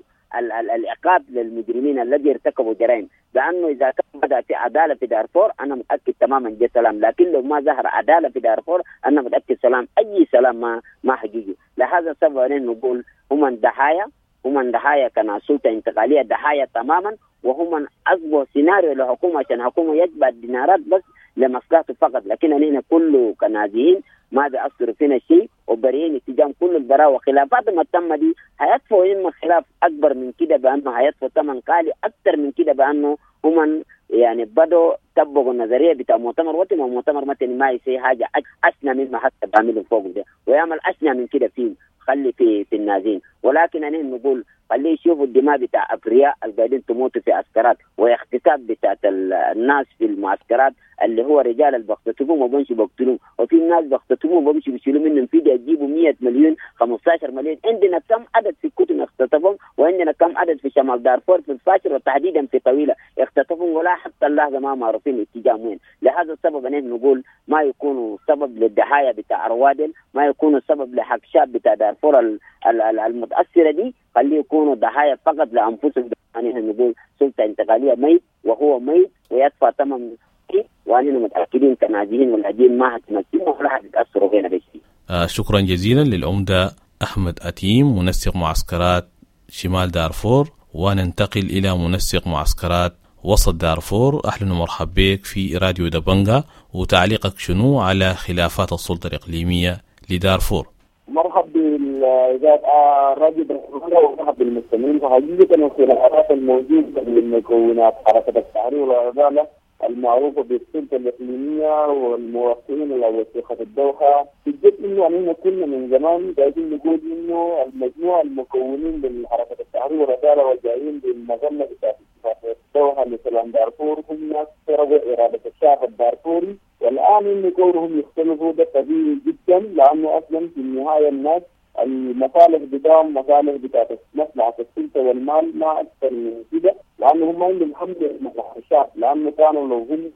العقاب للمجرمين الذي ارتكبوا جرائم، لأنه إذا كان بدأ في عدالة في دارفور أنا متأكد تماما جاء سلام، لكن لو ما ظهر عدالة في دارفور أنا متأكد سلام أي سلام ما ما حقيقي. لهذا السبب نقول هم ضحايا، هم ضحايا كان سلطة انتقالية ضحايا تماما، وهم أصبحوا سيناريو للحكومة عشان الحكومة يتبع الدينارات بس لمصلحته فقط، لكن أننا كله كنازحين ما بيأثر فينا شيء وبريئين اتجاه كل البراء. وخلافات ما تم دي هيدفعوا إما خلاف أكبر من كده بأنه هيدفعوا ثمن غالي أكثر من كده بأنه هم يعني بدوا طبقوا النظرية بتاع مؤتمر وطني، ومؤتمر وطني ما يسوي حاجة أسنى مما حتى بعملوا فوق ده ويعمل أسنى من كده فيه خلي في في النازين. ولكن أنا نقول خليه يشوفوا الدماء بتاع أبرياء القاعدين تموتوا في عسكرات واغتصاب بتاع الناس في المعسكرات اللي هو رجال اللي بيختطفوهم وبمشوا بيقتلوهم، وفي ناس بيختطفوهم وبمشوا بيشيلوا منهم فدية يجيبوا مئة مليون خمسة عشر مليون. عندنا كم عدد في كتن اختطفهم، وعندنا كم عدد في شمال دارفور في الفاشر وتحديدا في طويلة اختطفهم ولا حتى اللحظة ما معروفين اتجاه وين. لهذا السبب أنا نقول ما يكونوا سبب للضحايا بتاع روادل، ما يكونوا سبب لحق شاب بتاع دارفور المتأثرة دي، خليه يكونوا ضحايا فقط لأنفسهم. يعني نقول سلطة انتقالية ميت وهو ميت ويدفع ثمن، وأننا متأكدين كنازحين واللاجئين ما هتمثلنا ولا هتتأثروا فينا بشيء. آه شكرا جزيلا للعمدة أحمد أتيم منسق معسكرات شمال دارفور، وننتقل إلى منسق معسكرات وسط دارفور. أهلا ومرحبا بك في راديو دبنجا، وتعليقك شنو على خلافات السلطة الإقليمية لدارفور؟ مرحب بالإذاعة راديو دبنجا ومرحب بالمستمعين. فحقيقة الخلافات الموجودة من مكونات حركة التحرير والعدالة المعروفة بالسلطة الإقليمية والموافقين على وثيقة الدوحة، بجد إنه أننا كنا من زمان قاعدين نقول إنه المجموعة المكونين لحركة التحرير والعدالة والجايين بالمظلة بتاعت اتفاقية الدوحة لسلام دارفور هم ناس سرقوا إرادة الشعب الدارفوري والآن إنه كونهم يختلفوا ده طبيعي جدا، لأنه أصلا في النهاية الناس المصالح بتاعهم مصالح بتاعت مصلحة السلطة والمال ما أكثر من كده، لأنه هم عندهم هم مصلحة الشعب، لأنه كانوا لو هم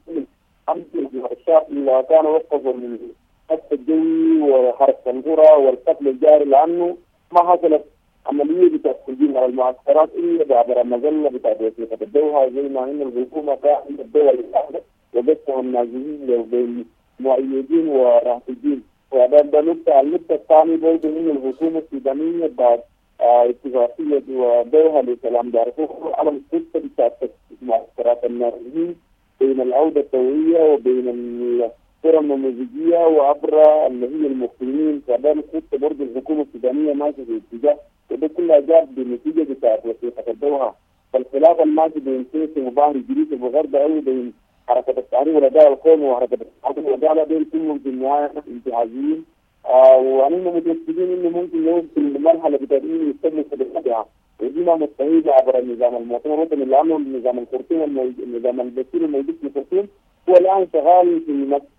هم مصلحة الشعب كانوا وقفوا القصف الجوي وحرق القرى والقتل الجاري، لأنه ما حصلت عملية بتاعت التهجير على المعسكرات إلا عبر المظلة بتاعت وثيقة الدوحة، زي ما إن الحكومة كانت الدول الأحدث وقسموا النازحين بين مؤيدين ورافضين. وده ده نقطة. النقطة الثانية برضه إن الحكومة السودانية بعد اتفاقية دوحة لسلام دارفور على الخطة بتاعت معسكرات النازحين بين العودة الطوعية وبين القرى النموذجية وعبر اللي هي المقيمين، فده الخطة برضه الحكومة السودانية ماشية في اتجاه، وده كلها جاب بنتيجة بتاعت وثيقة الدوحة. فالخلاف الماشي بين سيسي وباهر جريس وغرب أو بين حركة التحرير والأداء القومي وحركة التحرير والأداء دول كلهم في النهاية انتهازيين، آه وأننا متأكدين إنه ممكن يوصل لمرحلة بتاعت إنه يستلموا خدماتها، ودي ما مستحيل عبر النظام المؤتمر الوطني، لأنه النظام الخرطوم النظام البشير الموجود في الخرطوم هو الآن شغال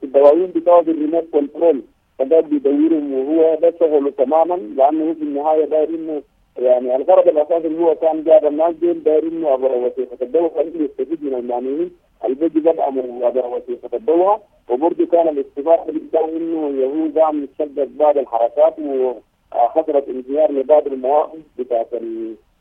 في الدواوين بتاعه بال remote control، فده بيدورهم وهو ده شغله تماما، لأنه في النهاية داير إنه يعني الغرض الأساسي اللي هو كان جاب الناس دول داير إنه عبر وثيقة الدوحة إنه يستفيد من المعنيين البيجي بدأ من عبر وثيقة الدوحة. وبرضه كان الاستفادة بتاعه إنه يهود قام يتشدد بعض الحركات وحصلت انهيار لبعض المواقف بتاعت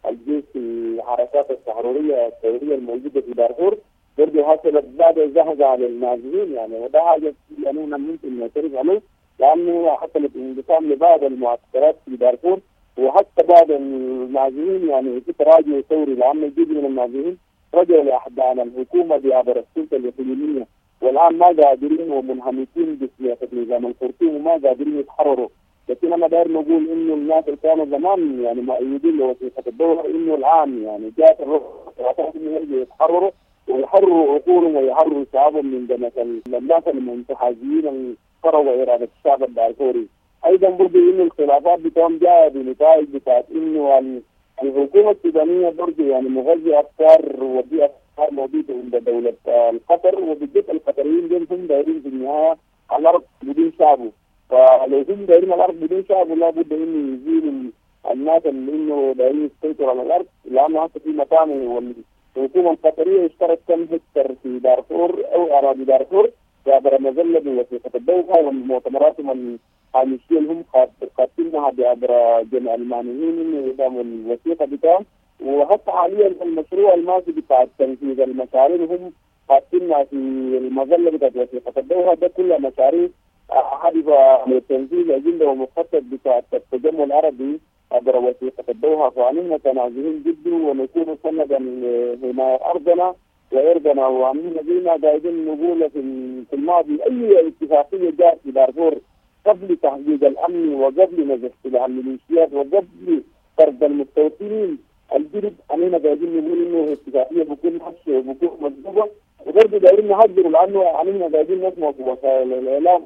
الجيش في الحركات التحررية الثورية الموجودة في دارفور، برضه حصلت بعض الزهزة على النازحين يعني، وده حاجة يعني ممكن نعترف عليه، لأنه حصلت انقسام لبعض المعسكرات في دارفور، وحتى بعض النازحين يعني في تراجع ثوري، لأنه جزء من النازحين رجعوا لأحضان الحكومة بعبر السلطة الإقليمية، والآن ما قادرين ومنهمكين بسياسة نظام الخرطوم وما قادرين يتحرروا. لكن أنا داير نقول إنه الناس اللي كانوا زمان يعني مؤيدين لوثيقة الدوحة إنه الآن يعني جاءت الروح إنه يرجعوا يتحرروا ويحرروا عقولهم ويحرروا شعبهم من دمك الناس المنتحازين اللي إرادة الشعب الدارفوري. أيضا برضه إنه الخلافات بتاعهم جاية بنتائج بتاعت إنه الحكومة السودانية برضه يعني مغذي أفكار ودي أفكار موجودة عند دولة القطر، وبالذات القطريين دول هم دايرين في النهاية الأرض بدون شعبه، فلو هم دايرين الأرض بدون شعبه لابد إنه يزيلوا الناس اللي إنه دايرين يسيطروا على الأرض، لأنه هسه في مكان والحكومة القطرية اشترت كم هكتار في دارفور أو أراضي دارفور عبر مظلة بوثيقة الدوحة والمؤتمرات الهامشية اللي هم قاتلينها بعبر جمع المعنيين إنه يدعموا الوثيقة بتاعهم. وحتى حاليا المشروع الماشي بتاع تنفيذ المشاريع هم قاتلينها في المظلة بتاعت وثيقة الدوحة، ده كلها مشاريع هدفها لتنفيذ أجندة ومخطط بتاع التجمع العربي عبر وثيقة الدوحة. فعلينا تنازلين جدا ونكون سندا لحماية أرضنا وإرضنا، وعملنا زي ما قاعدين نقول في الماضي أي اتفاقية جاءت في دارفور قبل تحقيق الأمن وقبل نزع سلاح الميليشيات وقبل طرد المستوطنين الجدد، علينا قاعدين نقول إنه اتفاقية بكون حش وبكون مكذوبة، وبرضه دايرين نهجروا لأنه علينا قاعدين نسمع في وسائل الإعلام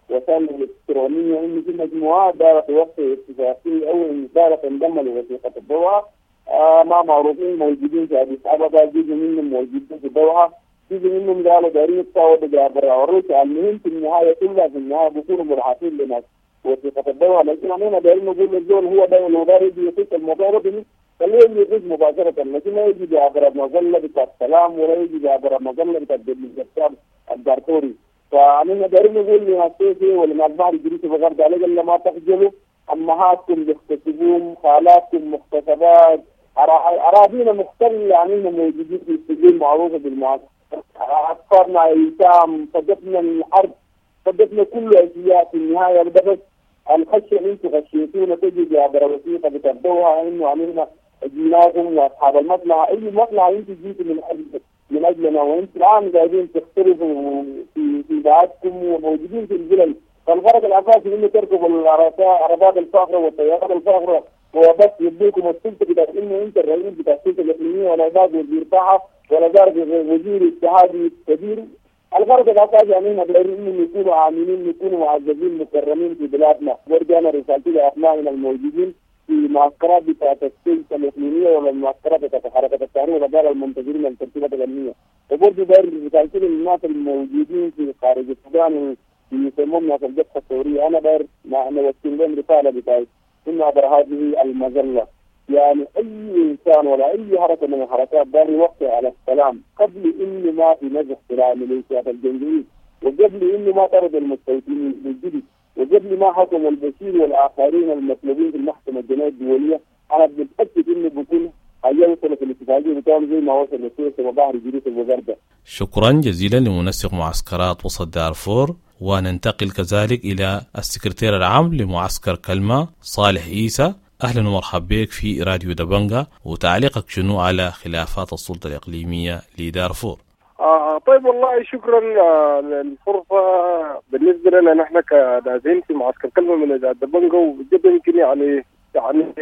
وسائل الإلكترونية إنه في مجموعات دارت توقع اتفاقية أو دارت تنضم لوثيقة الدوحة، آه ما معروفين موجودين في أديس أبابا، جزء منهم موجودين في الدوحة، جزء منهم قالوا دايرين يتفاوضوا برا الروسيا. المهم في النهاية كلها في النهاية بيكونوا مرحبين لناس وثيقة الدوحة. لكن علينا دايرين نقول للزول هو ده لو داير يجي يخش الموضوع الوطني خليه يجي يخش مباشرة، لكن ما يجي بعبر مظلة بتاع السلام ولا يجي بعبر مظلة بتاع الشعب الدارفوري. فعلينا دايرين نقول لناس سيسي ولناس بحر الجريس وغرب عليك إلا ما تخجلوا، أمهاتكم بيغتصبوهم، خالاتكم مغتصبات، أراضينا مختلة يعني موجودين في السجون معروفة بالمعاصرة، أطفالنا أيتام، صدقنا الحرب، صدقنا كل أشياء في النهاية. ده بس الخشية اللي أنتم خشيتونا تجي عبر وثيقة بتبدوها إنه عملنا جيناكم وأصحاب المصلحة، أي مصلحة أنتم جيتوا من أجل من أجلنا، وأنتم الآن قاعدين تختلفوا في في بعضكم وموجودين في الفلل. فالغرض الأساسي إنه تركبوا العربات الفاخرة والطيارات الفاخرة وبس يديكم السلطة بتاعت انه انت الرئيس بتاع السلطة الاقليمية ولا ذاك وزير طاعة ولا ذاك وزير اتحادي كبير. الغرض الاساسي يعني احنا دايرين انهم يكونوا عاملين، يكونوا معززين مكرمين في بلادنا. ورجعنا رسالتي لابنائنا الموجودين في معسكرات بتاعت السلطة الاقليمية ولا المعسكرات بتاعت حركة التحرير ولا المنتظرين للترتيبات الامنية. وبرضه داير رسالتي للناس الموجودين في خارج السودان اللي يسمون ناس الجبهة الثورية، انا داير نوصل لهم رسالة بتاعت انه عبر هذه المظلة يعني اي انسان ولا اي حركة من الحركات داير يوقع على السلام قبل انه ما في نزع سلاح ميليشيات الجنجويد، وقبل انه ما طرد المستوطنين الجدد، وقبل ما حكم البشير والاخرين المطلوبين في المحكمة الجنائية الدولية. انا متاكد انه بيكون هيوصل في الاتفاقية بتاعهم زي ما وصل لسويس وبحر جريس وغرده. شكرا جزيلا لمنسق معسكرات وسط دارفور. وننتقل كذلك الى السكرتير العام لمعسكر كلمة صالح عيسى. اهلا ومرحبا بك في راديو دبنجا، وتعليقك شنو على خلافات السلطة الاقليمية لدارفور؟ آه طيب والله شكرا للفرصة. بالنسبة لنا نحن كنازين في معسكر كلمة من دبنجا، وجدا يمكن يعني يعني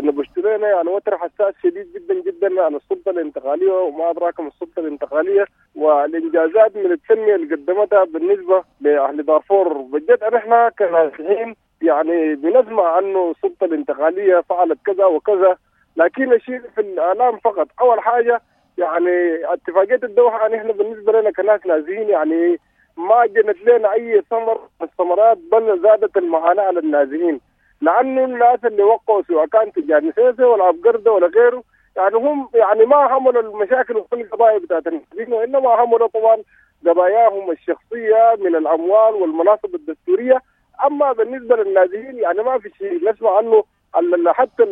نبشت لنا يعني وتر حساس شديد جدا جدا عن السلطة الانتقالية وما أدراك ما السلطة الانتقالية والإنجازات من التنمية اللي قدمتها بالنسبة لأهل دارفور. بجد نحن كنازحين يعني بنسمع أنه السلطة الانتقالية فعلت كذا وكذا، لكن الشيء في الإعلام فقط. أول حاجة يعني اتفاقية الدوحة نحن بالنسبة لنا كناس نازحين يعني ما جنت لنا أي ثمر من الثمرات، بل زادت المعاناة على النازحين، لأنه الناس اللي وقعوا سواء كان تجار سيسي ولا أبقردة ولا غيره يعني هم يعني ما حملوا المشاكل والقضايا بتاعت النازحين، وإنما حملوا طبعا قضاياهم الشخصية من الأموال والمناصب الدستورية. أما بالنسبة للنازحين يعني ما في شيء نسمع عنه حتى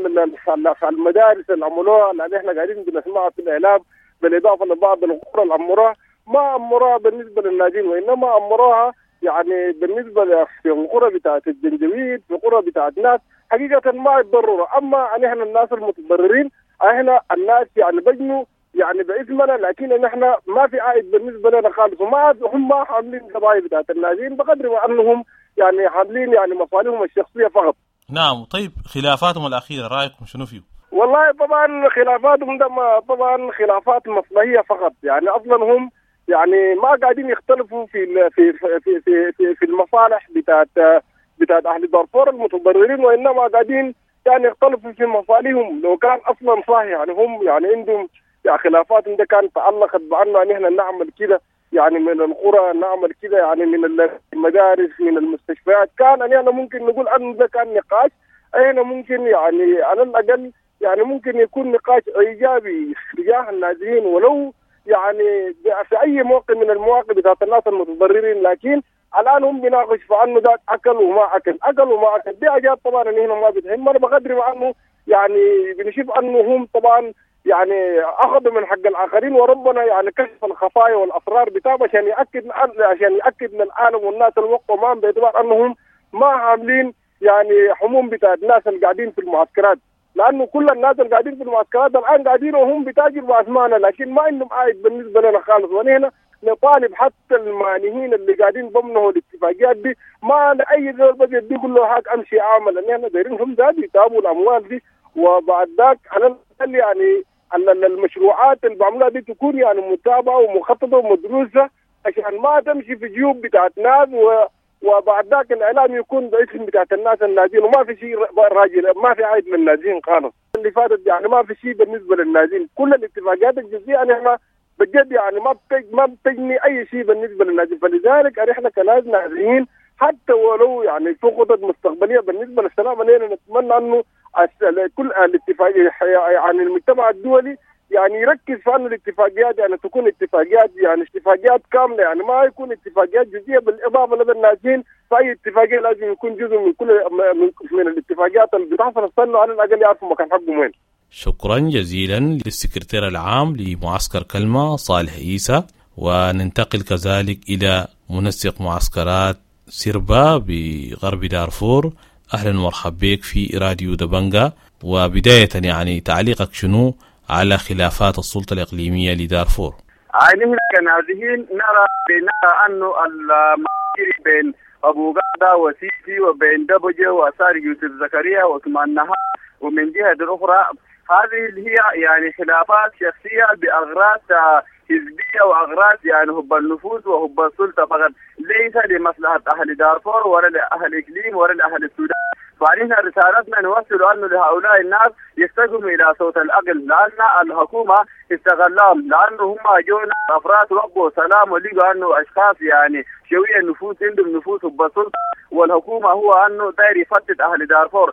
المدارس اللي عملوها اللي احنا قاعدين بنسمعها في الإعلام، بالإضافة لبعض القرى اللي عمروها ما عمروها بالنسبة للنازحين، وإنما عمروها يعني بالنسبة في القرى بتاعت الجنجويد، في قرى بتاعت ناس حقيقة ما يتضرروا. أما نحن الناس المتضررين احنا الناس يعني بجنوا يعني باسمنا، لكن نحن ما في عائد بالنسبة لنا خالص، وما هم ما حاملين قضايا بتاعت النازحين بقدر ما أنهم يعني حاملين يعني مصالحهم الشخصية فقط. نعم. طيب خلافاتهم الأخيرة رأيكم شنو فيه؟ والله طبعا خلافاتهم ده طبعا خلافات مصلحية فقط، يعني أصلا هم يعني ما قاعدين يختلفوا في في في في في, في المصالح بتاعت بتاعت أهل دارفور المتضررين، وإنما قاعدين يعني يختلفوا في مصالحهم. لو كان أصلا صح يعني هم يعني عندهم يعني خلافات ده كان تعلقت بأنه يعني إحنا نعمل كده يعني من القرى، نعمل كده يعني من المدارس، من المستشفيات، كان يعني أنا ممكن نقول أنه ده كان نقاش احنا ممكن يعني على الأقل يعني ممكن يكون نقاش إيجابي تجاه النازحين، ولو يعني في أي موقف من المواقف بتاعت الناس المتضررين. لكن الآن هم بيناقش في أنه ذاك أكل وما أكل، أكل وما أكل، دي حاجات طبعا إن هنا ما بتهم. بقدر ما أنه يعني بنشوف أنه هم طبعا يعني أخذوا من حق الآخرين، وربنا يعني كشف الخفايا والأسرار بتاعهم عشان يأكد عشان يأكد للعالم والناس الوقت ما باعتبار أنهم ما عاملين يعني حموم بتاعت الناس اللي قاعدين في المعسكرات، لأنه كل الناس اللي قاعدين في المعسكرات الآن قاعدين وهم بتاجروا بأثماننا، لكن ما عندهم عائد بالنسبة لنا خالص. ونحن نطالب حتى المانهين اللي قاعدين ضمنه الاتفاقيات دي ما أي زول بس يدي كله حق أمشي أعمل، لأن احنا دايرين هم ذات يتابعوا الأموال دي، وبعد ذاك على الأقل يعني المشروعات اللي بعملها دي تكون يعني متابعة ومخططة ومدروسة عشان ما تمشي في جيوب بتاعت ناس، و وبعد ذاك الإعلام يكون باسم بتاعت الناس النازين، وما في شيء راجل ما في عائد من النازين خالص. اللي فاتت يعني ما في شيء بالنسبة للنازين، كل الاتفاقيات الجزئية نحن بجد يعني ما بتج ما بتجني أي شيء بالنسبة للنازين. فلذلك نحن كناس نازحين حتى ولو يعني في خطط مستقبلية بالنسبة للسلام علينا نتمنى أنه كل الاتفاقية يعني المجتمع الدولي يعني يركز في أنه الاتفاقيات يعني تكون اتفاقيات يعني اتفاقيات كاملة، يعني ما يكون اتفاقيات جزئية. بالإضافة لدى النازحين فأي اتفاقية لازم يكون جزء من كل من, من الاتفاقيات اللي بتحصل السنة على الأقل يعرفوا مكان حقهم وين. شكرا جزيلا للسكرتير العام لمعسكر كلمة صالح عيسى. وننتقل كذلك إلى منسق معسكرات سيربا بغرب دارفور. أهلا ومرحبا بك في راديو دبنجا. وبداية يعني تعليقك شنو على خلافات السلطة الإقليمية لدارفور؟ نحن كنازحين نرى نرى أنه المعايير بين أبو قادة وسيسي وبين دبجة وأسار يوسف زكريا وعثمان نهار، ومن جهة أخرى هذه اللي هي يعني خلافات شخصية بأغراض حزبية وأغراض يعني حب النفوذ وحب السلطة فقط، ليس لمصلحة أهل دارفور ولا لأهل إقليم ولا لأهل السودان. فنحن رسالتنا نوصل أنه لهؤلاء الناس يستجموا إلى صوت العقل، لأن الحكومة استغلهم، لانه هم جونا افراد وقعوا سلام ولقوا انه اشخاص يعني شوية نفوذ عندهم نفوذ بالسلطة، والحكومة هو انه داير يفتت اهل دارفور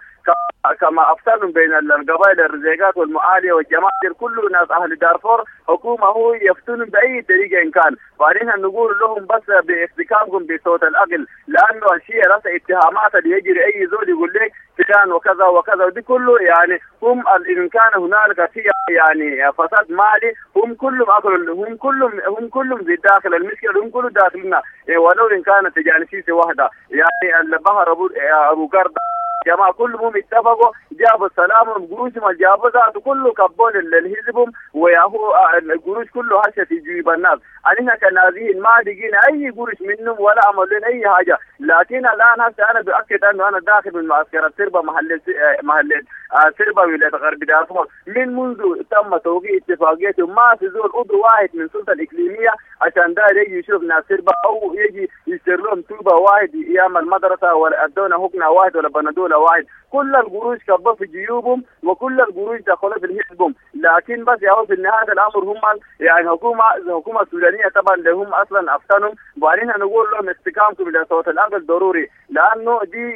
كما افتنوا بين القبائل الرزيقات والمعاليه والجماعة كل ناس اهل دارفور، حكومة هو يفتنوا باي طريقه ان كان. فعلينا نقول لهم بس باحتكامكم بصوت العقل، لانه الشيء راس اتهامات اللي يجري اي زول يقول لك فلان وكذا وكذا ودي كله يعني هم ان كان هنالك في يعني فساد مالي هم كلهم اكلوا، هم كلهم هم كلهم في داخل المشكلة، هم كلهم داخلنا ولو ان كانت تجانسيسي واحدة يعني البحر ابو ابو قرد جماعة كلهم اتفقوا جابوا السلام والقروش ما جابوا ذاته كله كبون الحزبهم وياهو القروش كله هشه في جيوب الناس. احنا كنازين ما لقينا اي قروش منهم ولا عملوا لنا اي حاجة، لكن الان هسه انا باكد انه انا داخل من معسكر سربا محل محل سربا ولاية غرب دارفور من منذ تم توقيع اتفاقيته ما في زول عضو واحد من السلطة الاقليمية عشان ده يجي يشوف ناس سربا او يجي يشتري لهم توبه واحد يعمل مدرسه ولا ادونا هكنا واحد ولا بندوله واحد. كل القروش كبوا في جيوبهم وكل القروش دخلوا في حزبهم، لكن بس يا في نهاية الامر هم يعني حكومة الحكومة السودانية طبعا اللي هم اصلا افتنهم. وبعدين نقول لهم استقامتكم الى صوت العقل ضروري، لانه دي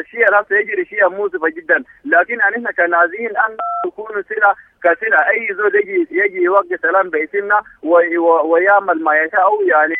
الشيء اللي يجري شيء مؤسفة جدا، لكن احنا كنازين ان نكون سلة كسلة اي زول يجي يجي يوقع سلام باسمنا ويعمل ما يشاء، يعني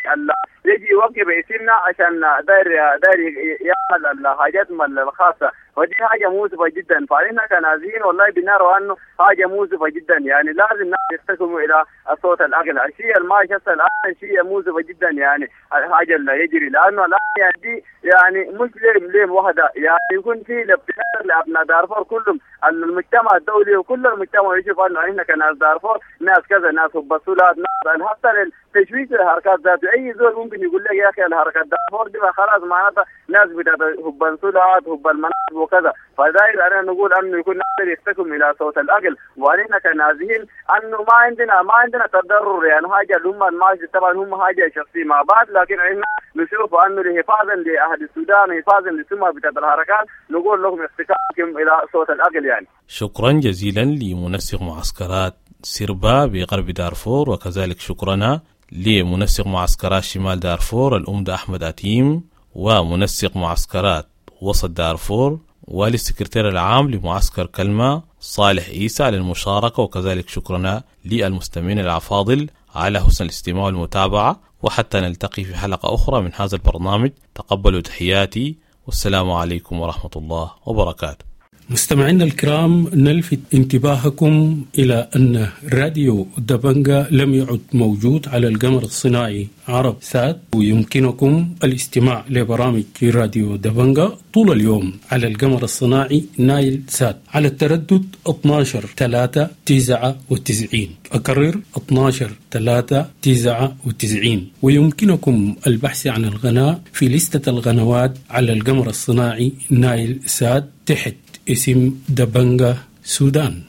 يجي يوقع باسمنا عشان داير داير يعمل الحاجات الخاصة، ودي حاجة مؤسفة جدا. فعلينا كنازين والله بنرى انه حاجة مؤسفة جدا، يعني لازم الناس يستقيموا الى الصوت الاقل. الشيء الماشي هسه الان شيء مؤسفة جدا، يعني الحاجة اللي يجري لانه الان يعني دي يعني مش ليم ليم واحدة، يعني يكون في الابتكار لابناء دارفور كلهم، المجتمع الدولي وكل المجتمع يشوف انه احنا كناس دارفور ناس كذا، ناس بسولات، ناس حتى تشويش الحركات ذاته. اي زول ممكن يقول لك يا اخي الحركات دارفور دي خلاص معناتها ناس بتاعت حب السولات حب المناصب وكذا. فداير انا نقول انه يكون نقدر يستقم الى صوت العقل، وعلينا كنازهين انه ما عندنا ما عندنا تضرر، يعني حاجة اللي هم ماشي طبعا هم حاجة شخصية مع بعض، لكن احنا نشوف انه حفاظا لاهل السودان حفاظا للسمعه بتاعت الحركات نقول لهم استقامكم الى صوت العقل. يعني شكرا جزيلا لمنسق معسكرات سربا بغرب دارفور، وكذلك شكرنا لمنسق معسكرات شمال دارفور الأمدة أحمد أتيم، ومنسق معسكرات وسط دارفور، وللسكرتير العام لمعسكر كلمة صالح عيسى للمشاركة، وكذلك شكرنا للمستمعين الأفاضل على حسن الاستماع والمتابعة. وحتى نلتقي في حلقة أخرى من هذا البرنامج، تقبلوا تحياتي والسلام عليكم ورحمة الله وبركاته. مستمعينا الكرام، نلفت انتباهكم إلى أن راديو دبنجا لم يعد موجود على القمر الصناعي عرب سات، ويمكنكم الاستماع لبرامج راديو دبنجا طول اليوم على القمر الصناعي نايل سات على التردد اثنا عشر ثلاثة تسعة وتسعين. أكرر اثنا عشر ثلاثة تسعة وتسعين. ويمكنكم البحث عن القناة في لستة القنوات على القمر الصناعي نايل سات تحت اسم دبنجا سودان.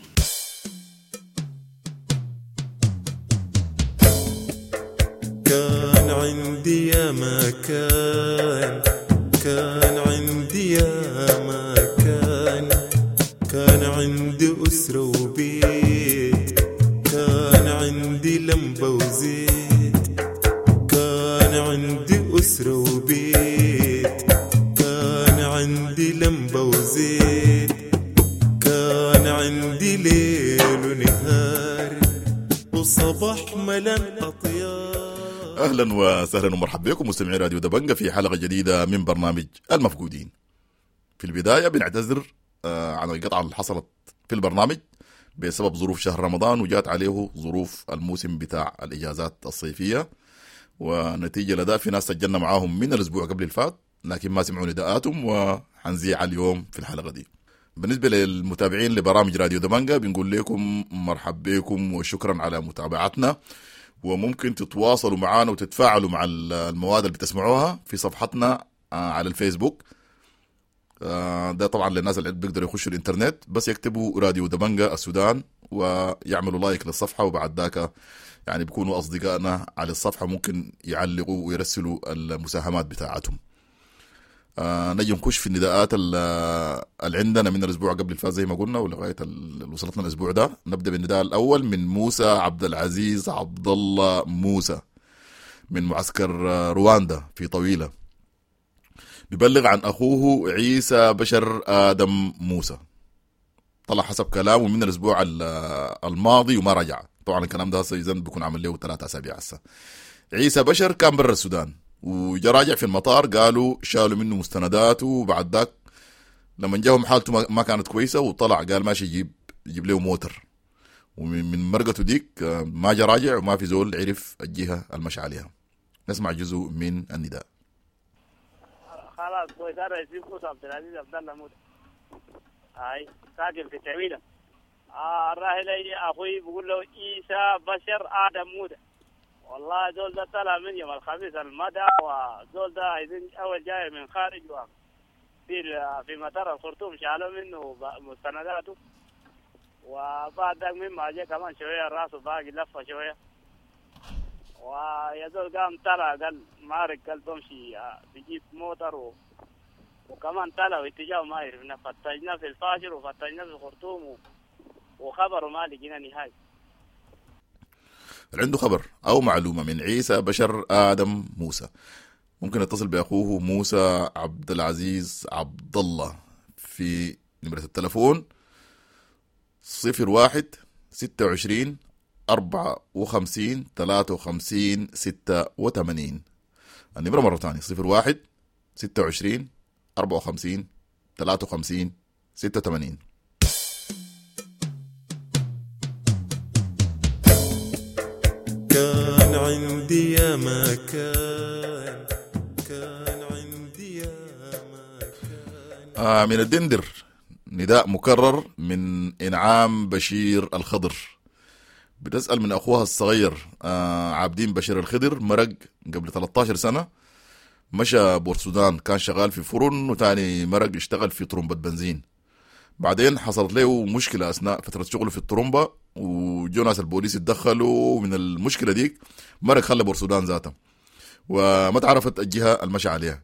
كان عندي يا مكان، كان عندي يا مكان، كان عندي أسرة وبيت، كان عندي لمبة وزيت، كان عندي أسرة وبيت، كان عندي لمبة وزيت، كان عندي ليل ونهار وصباح ملان أطيار. أهلا وسهلا ومرحبا بكم مستمعي راديو دبنجا في حلقة جديدة من برنامج المفقودين. في البداية بنعتذر عن القطعة اللي حصلت في البرنامج بسبب ظروف شهر رمضان، وجات عليه ظروف الموسم بتاع الإجازات الصيفية، ونتيجة لذا في ناس سجلنا معاهم من الأسبوع قبل الفات لكن ما سمعوا نداءاتهم، وحنزيع اليوم في الحلقة دي. بالنسبة للمتابعين لبرامج راديو دبنجا بنقول لكم مرحب بكم وشكرا على متابعتنا، وممكن تتواصلوا معنا وتتفاعلوا مع المواد اللي بتسمعوها في صفحتنا على الفيسبوك. ده طبعا للناس اللي بيقدروا يخشوا الانترنت، بس يكتبوا راديو دبنجا السودان ويعملوا like للصفحة، وبعد ذاك يعني بيكونوا أصدقائنا على الصفحة، ممكن يعلقوا ويرسلوا المساهمات بتاعتهم. آه نجي نخش في النداءات اللي عندنا من الاسبوع قبل الفات زي ما قلنا ولغاية اللي وصلتنا الاسبوع ده. نبدا بالنداء الاول من موسى عبد العزيز عبد الله موسى من معسكر رواندا في طويلة، بيبلغ عن اخوه عيسى بشر ادم موسى، طلع حسب كلامه من الاسبوع الماضي وما رجع. طبعا الكلام ده هسه اذا بيكون عمل له ثلاثة اسابيع هسه. عيسى بشر كان برا السودان وجا راجع في المطار، قالوا شالوا منه مستنداته، وبعد ذاك لما جاهم حالته ما كانت كويسة وطلع قال ماشي يجيب يجيب له موتر، ومن مرقته ديك ما جا راجع وما في زول عرف الجهة المشى عليها. نسمع جزء من النداء. خلاص كويس، انا اسمي موسى عبد العزيز عبد الله موسى، هاي ساكن في التعويله. آه الراحل اخوي بيقول له عيسى بشر ادم موسى، والله زول ده طلع من يوم الخميس المدى، وزول ده عايزين اول جاي من خارج في في مطار الخرطوم شالوا منه مستنداته، وبعد ذاك مما جاء كمان شوية راسه باقي لفه شوية، ويا زول قام طلع قال مارك قال بمشي بجيب موتر و... وكمان طلع واتجاهه ما عرفنا، فتشنا في الفاشر وفتشنا في الخرطوم و... وخبره ما لقينا نهائي. عنده خبر أو معلومة من عيسى بشر آدم موسى ممكن يتصل بأخوه موسى عبد العزيز عبد الله في نمرة التلفون صفر واحد ستة وعشرين أربعة وخمسين ثلاثة وخمسين ستة وثمانين. النمرة مرة ثانية صفر واحد ستة وعشرين أربعة وخمسين ثلاثة وخمسين ستة وثمانين. كان عندي يا ما كان، كان عندي يا ما كان. آه من الدندر نداء مكرر من إنعام بشير الخضر، بتسأل من أخوها الصغير آه عابدين بشير الخضر، مرق قبل ثلاثة عشر سنة، مشى بورسودان، كان شغال في فرن وتاني مرق اشتغل في طرمبة بنزين. بعدين حصلت له مشكلة أثناء فترة شغله في الطرمبة، وجو ناس البوليس اتدخلوا من المشكلة ديك، مرق خلى بورسودان ذاته وما تعرفت الجهة المشى عليها.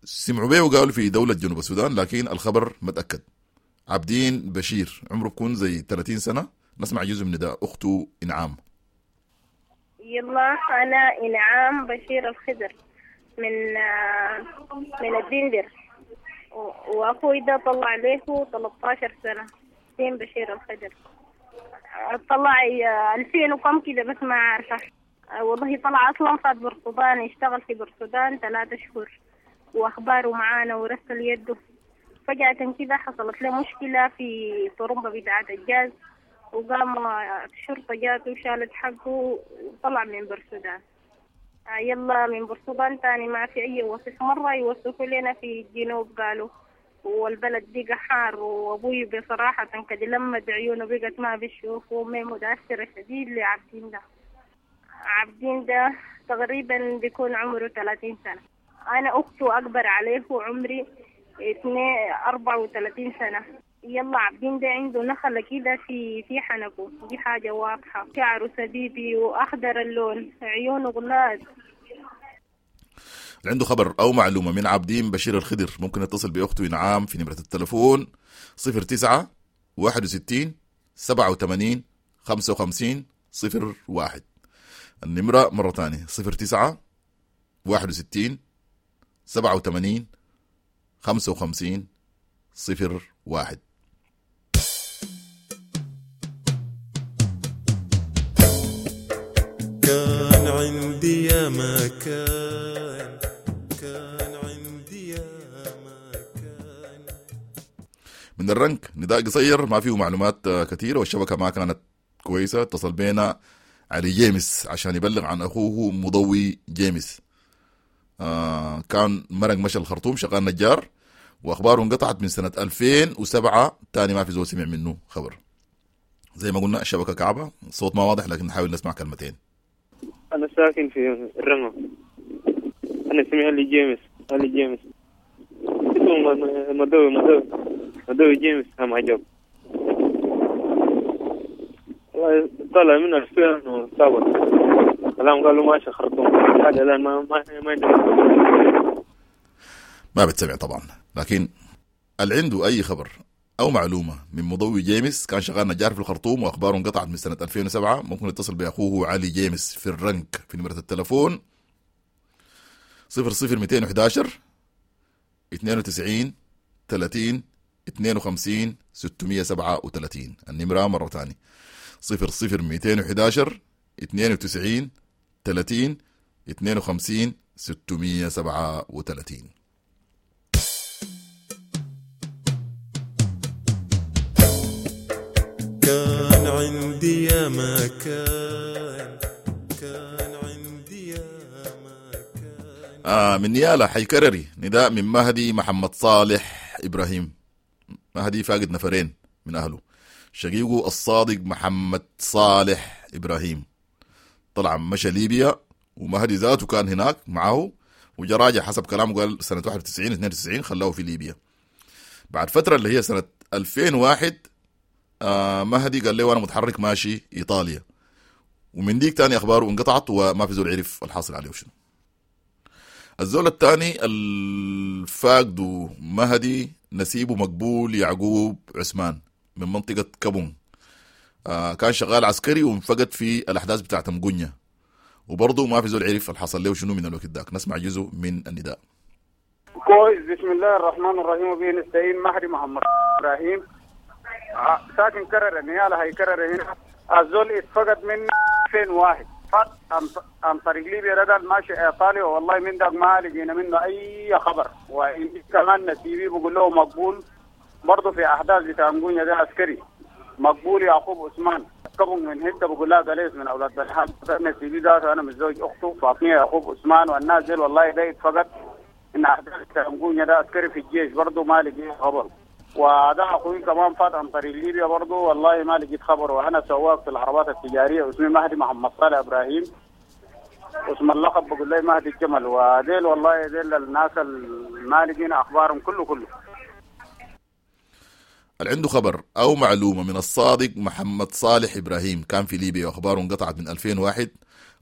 سمعوا به وقالوا في دولة جنوب السودان، لكن الخبر ما تأكد. عابدين بشير عمره بكون زي ثلاثين سنة. نسمع جزء من نداء أخته إنعام. يلا أنا إنعام بشير الخضر من من الدندر، وأخوي ده طلع له ثلاثة عشر سنة، دين بشير الخضر، طلع ألفين وكم كده بس ما عارفة والله. طلع أصلا فات برسودان، يشتغل في برسودان ثلاثة شهور، وأخباره معانا ورسل يده. فجأة كده حصلت له مشكلة في طرمبة بتاعة الجاز، وقام الشرطة جاته وشالت حقه وطلع من برسودان. يلا من برسودان تاني ما في أي وصف، مرة يوصفوا لنا في الجنوب قالوا والبلد بقى حار، وأبوي بصراحة كده لما عيونه بقت ما بيشوف، وأمي متأثرة شديد لعبدين ده. عبدين ده تقريبا بيكون عمره ثلاثين سنة، أنا أخته أكبر عليه وعمري اثنين أربعة وثلاثين سنة. يلا عبدين ده عنده نخلة كده في في حنكه، دي حاجة واضحة، شعره سديدي وأخضر اللون، عيونه غلاظ. عنده خبر أو معلومة من عابدين بشير الخضر ممكن يتصل بأخته إنعام في نمرة التلفون صفر تسعة واحد وستين سبعة وثمانين خمسة وخمسين صفر واحد. النمرة مرة تانية صفر تسعة واحد وستين سبعة وثمانين خمسة وخمسين صفر واحد. كان عندي يا ما كان، كان عندي يا ما كان. من الرنك نداء قصير ما فيه معلومات كثيرة والشبكة ما كانت كويسة. اتصل بينا علي جيمس عشان يبلغ عن أخوه مضوي جيمس. آه كان مرق مشى الخرطوم شغال نجار، وأخباره انقطعت من سنة ألفين وسبعة، تاني ما في زول سمع منه خبر. زي ما قلنا الشبكة كعبة، الصوت ما واضح لكن نحاول نسمع كلمتين. أنا ساكن في الرمى، أنا اسمي علي جيمس، علي جيمس اسمه مدوي مدوي مدوي جيمس. هم عجب والله، طلع منه ألفين وسبعة الآن قالوا ماشي خرطوم، حاجة الآن ما ما ما. ما بتسمع طبعا، لكن اللي عنده أي خبر أو معلومة من مضوي جيمس، كان شغال نجار في الخرطوم وأخباره انقطعت من سنة ألفين وسبعة، ممكن يتصل بأخوه علي جيمس في الرنك في نمرة التلفون صفر صفر مئتين وأحد عشر اثنين وتسعين ثلاثين اثنين وخمسين ستمية سبعة وثلاثين. النمرة مرة تانية صفر صفر مئتين وأحد عشر اثنين وتسعين ثلاثين اثنين وخمسين ستمية سبعة وثلاثين. كان عندي يا ما كان، كان عندي يا ما كان. آه من نيالا حيكرري نداء من مهدي محمد صالح إبراهيم. مهدي فاقد نفرين من أهله، شقيقه الصادق محمد صالح إبراهيم طلع مشى ليبيا، ومهدي ذاته كان هناك معه وجا راجع حسب كلامه، قال سنة واحد وتسعين اثنين وتسعين خلاه في ليبيا. بعد فترة اللي هي سنة ألفين وواحد آه مهدي قال له أنا متحرك ماشي إيطاليا، ومن ديك تاني أخباره انقطعت وما في زول عرف الحاصل عليه شنو. الزول الثاني الفاقد مهدي نسيبه مقبول يعقوب عثمان من منطقة كابون، آه كان شغال عسكري وانفقد في الأحداث بتاعت مقنية، وبرضه ما في زول عرف الحصل له شنو من الوقت داك. نسمع جزء من النداء. كويس. بسم الله الرحمن الرحيم وبه نستعين. مهدي محمد إبراهيم ساكن كرر نيالا هي كرر هنا. الزول اتفقد من ألفين وواحد فات عن طريق ليبيا ده ماشي ايطاليا، والله من داك ما لقينا منه اي خبر. وكمان نسيبي بقول له مقبول برضه في احداث بتاع مقونيا ده عسكري مقبول يعقوب عثمان كبن من هنا بقول لها قليس من اولاد بلحان نسيبي ده انا متزوج اخته فاطمه يعقوب عثمان والناس ديل والله ده اتفقد ان احداث بتاع مقونيا ده عسكري في الجيش برضه ما لقينا خبر. وده اخوي كمان فات عن طريق ليبيا برضه والله ما لقيت خبر. وانا سواق في العربات التجاريه اسمي مهدي محمد صالح ابراهيم، اسم اللقب بقول لي مهدي الجمل. وديل والله ديل الناس ما لقينا اخبارهم كله كله. اللي عنده خبر او معلومه من الصادق محمد صالح ابراهيم كان في ليبيا واخباره انقطعت من ألفين وواحد،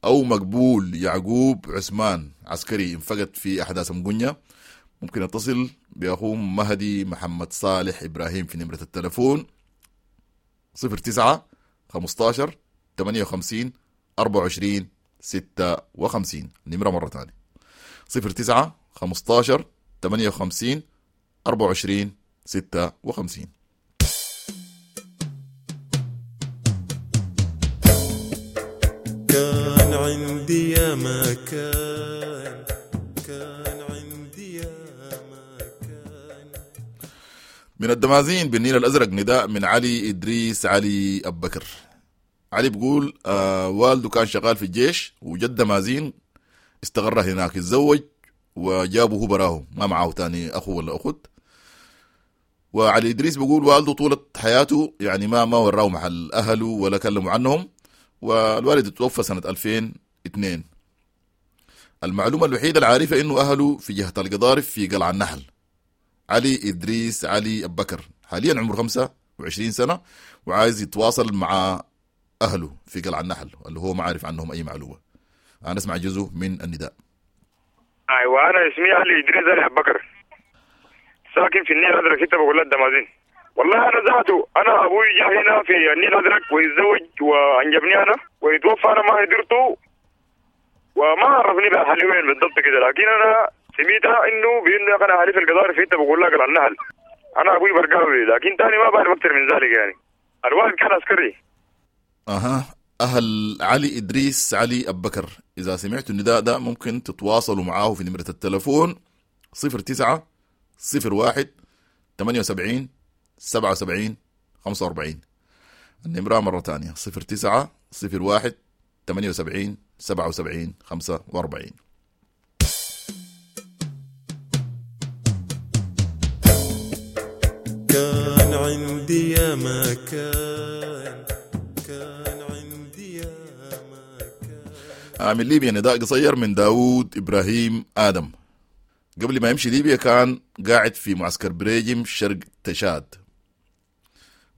او مقبول يعقوب عثمان عسكري انفقد في احداث مقنية، ممكن يتصل بأخوه مهدي محمد صالح إبراهيم في نمرة التلفون صفر تسعة خمستاشر ثمانية وخمسين أربعة وعشرين ستة وخمسين. نمرة مرة تانية صفر تسعة خمستاشر ثمانية وخمسين أربعة وعشرين ستة وخمسين. كان عندي يا ما كان، كان عندي يا ما كان. من الدمازين بالنيل الأزرق نداء من علي إدريس علي أبو بكر. علي بيقول آه والده كان شغال في الجيش وجد دمازين استقر هناك، اتزوج وجابه هو براه ما معاه تاني أخو ولا أخت. وعلي إدريس بيقول والده طولة حياته يعني ما ما وراه محل أهله ولا كلموا عنهم، والوالد توفى سنة ألفين واثنين. المعلومة الوحيدة العارفة إنه أهله في جهة القضارف في قلعة النحل. علي إدريس علي أبو بكر حاليا عمره خمسة وعشرين سنة وعايز يتواصل مع أهله في قلعة النحل اللي هو ما عارف عنهم أي معلومة. أنا أسمع جزء من النداء. أيوة أنا اسمي علي إدريس علي أبو بكر، ساكن في النيل الأزرق ستة بقول الدمازين. والله أنا ذاته أنا أبوي جاء هنا في النيل الأزرق ويتزوج وأنجبني أنا ويتوفى، أنا ما قدرته وما عرفني بأهلي وين بالضبط كده، لكن أنا سميتها إنه بإنه أنا أهلي في القضارف في حتة بقول لك قلعة النحل. أنا أبوي برقاوي لكن تاني ما بعرف أكثر من ذلك يعني. الوالد كان عسكري. أها أهل علي إدريس علي أبو بكر إذا سمعتوا النداء ده ممكن تتواصلوا معاه في نمرة التلفون صفر تسعة صفر واحد ثمانية وسبعين سبعة وسبعين خمسة وأربعين. النمرة مرة تانية صفر تسعة صفر واحد ثمانية وسبعين سبعة وسبعين خمسة وأربعين. كان عندي يا ما كان، كان عندي يا ما كان. من ليبيا نداء قصير من داود إبراهيم آدم. قبل ما يمشي ليبيا كان قاعد في معسكر بريجم شرق تشاد.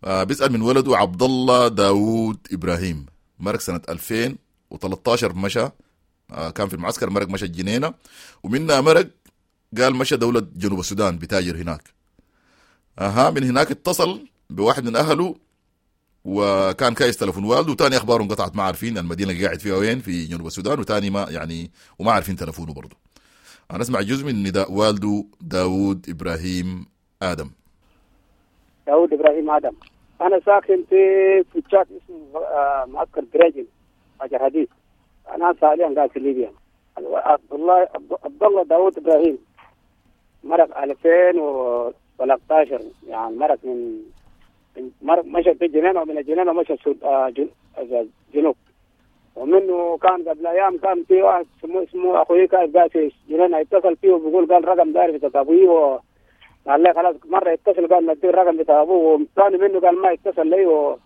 بيسأل من ولده عبد الله داود إبراهيم، مرق سنة ألفين وثلاثة عشر مشى، كان في المعسكر مرق مشى الجنينة، ومنها مرق قال مشى دولة جنوب السودان بتاجر هناك. اها من هناك اتصل بواحد من اهله وكان كايس تلفون والده، وتاني اخباره انقطعت، ما عارفين المدينة اللي قاعد فيها وين في جنوب السودان، وتاني ما يعني وما عارفين تلفونه برضه. انا اسمع جزء من نداء والده داوود ابراهيم ادم. داوود ابراهيم ادم، انا ساكن في في تشاد اسمه معسكر دريجن حجر حديد. انا حاليا قاعد في ليبيا. عبد الله عبد الله داوود ابراهيم مرق ألفين وثلاثة عشر، يعني مرق من مرق مشى في الجنينة، ومن الجنينة مشى الجنوب. ومنه كان قبل ايام كان في واحد اسمه اسمه اخوي كان قاعد في الجنينة، يتصل فيه وبيقول قال رقم داري بتاع ابوي، قال لي خلاص مرة يتصل قال نديه الرقم بتاع ابوه، وثاني منه قال ما يتصل لي، و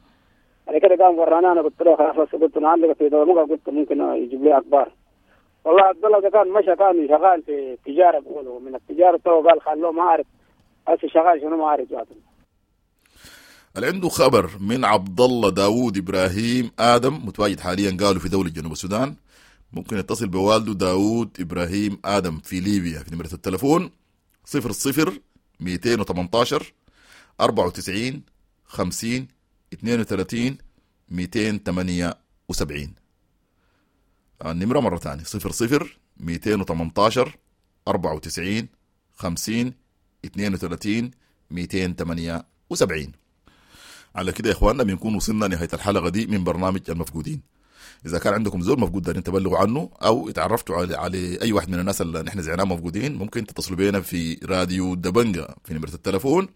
بعد كده قام ورانا. انا قلت له خلاص، قلت انا عندك في دولة، قلت ممكن يجيب لي اخبار. والله عبد الله ده كان مشى كان شغال في التجارة، بيقولوا من التجارة تو قال خلوه ما عارف هسه شغال شنو ما عارف ذاته. اللي عنده خبر من عبد الله داوود ابراهيم ادم متواجد حاليا قالوا في دولة جنوب السودان، ممكن يتصل بوالده داوود ابراهيم ادم في ليبيا في نمره التلفون صفر صفر مئتين وثمانية عشر أربعة وتسعين خمسين اثنين وثلاثين مئتين وثمانية وسبعين. النمرة مرة ثانية صفر صفر مئتين وثمانية عشر أربعة وتسعين خمسين اثنين وثلاثين مئتين وثمانية وسبعين. على كده يا إخواننا بنكون وصلنا نهاية الحلقة دي من برنامج المفقودين. إذا كان عندكم زول مفقود دارين تبلغوا عنه أو اتعرفتوا على, على أي واحد من الناس اللي نحن زعناه مفقودين، ممكن تتصلوا بينا في راديو دبنجة في نمرة التلفون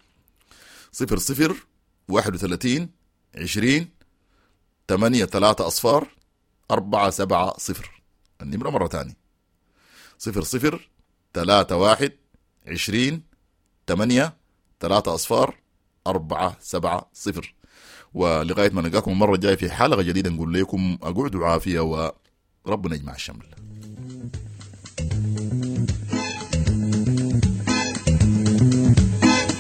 صفر صفر واحد وثلاثين عشرين ثمانية ثلاثة أصفار أربعة سبعة صفر. النمرة مرة تانية صفر صفر ثلاثة واحد عشرين ثمانية ثلاثة أصفار أربعة سبعة صفر. ولغاية ما نلقاكم المرة الجاية في حلقة جديدة نقول لكم أقعدوا عافية وربنا يجمع الشمل.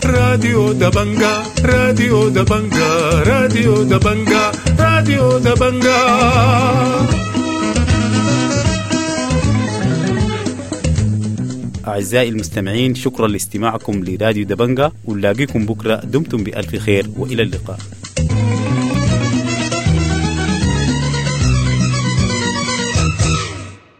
راديو دبنجا، راديو دبنجا، راديو دبنجا، راديو دبنجا. أعزائي المستمعين، شكرا لاستماعكم لراديو دبنجا، ونلاقيكم بكرة. دمتم بألف خير وإلى اللقاء.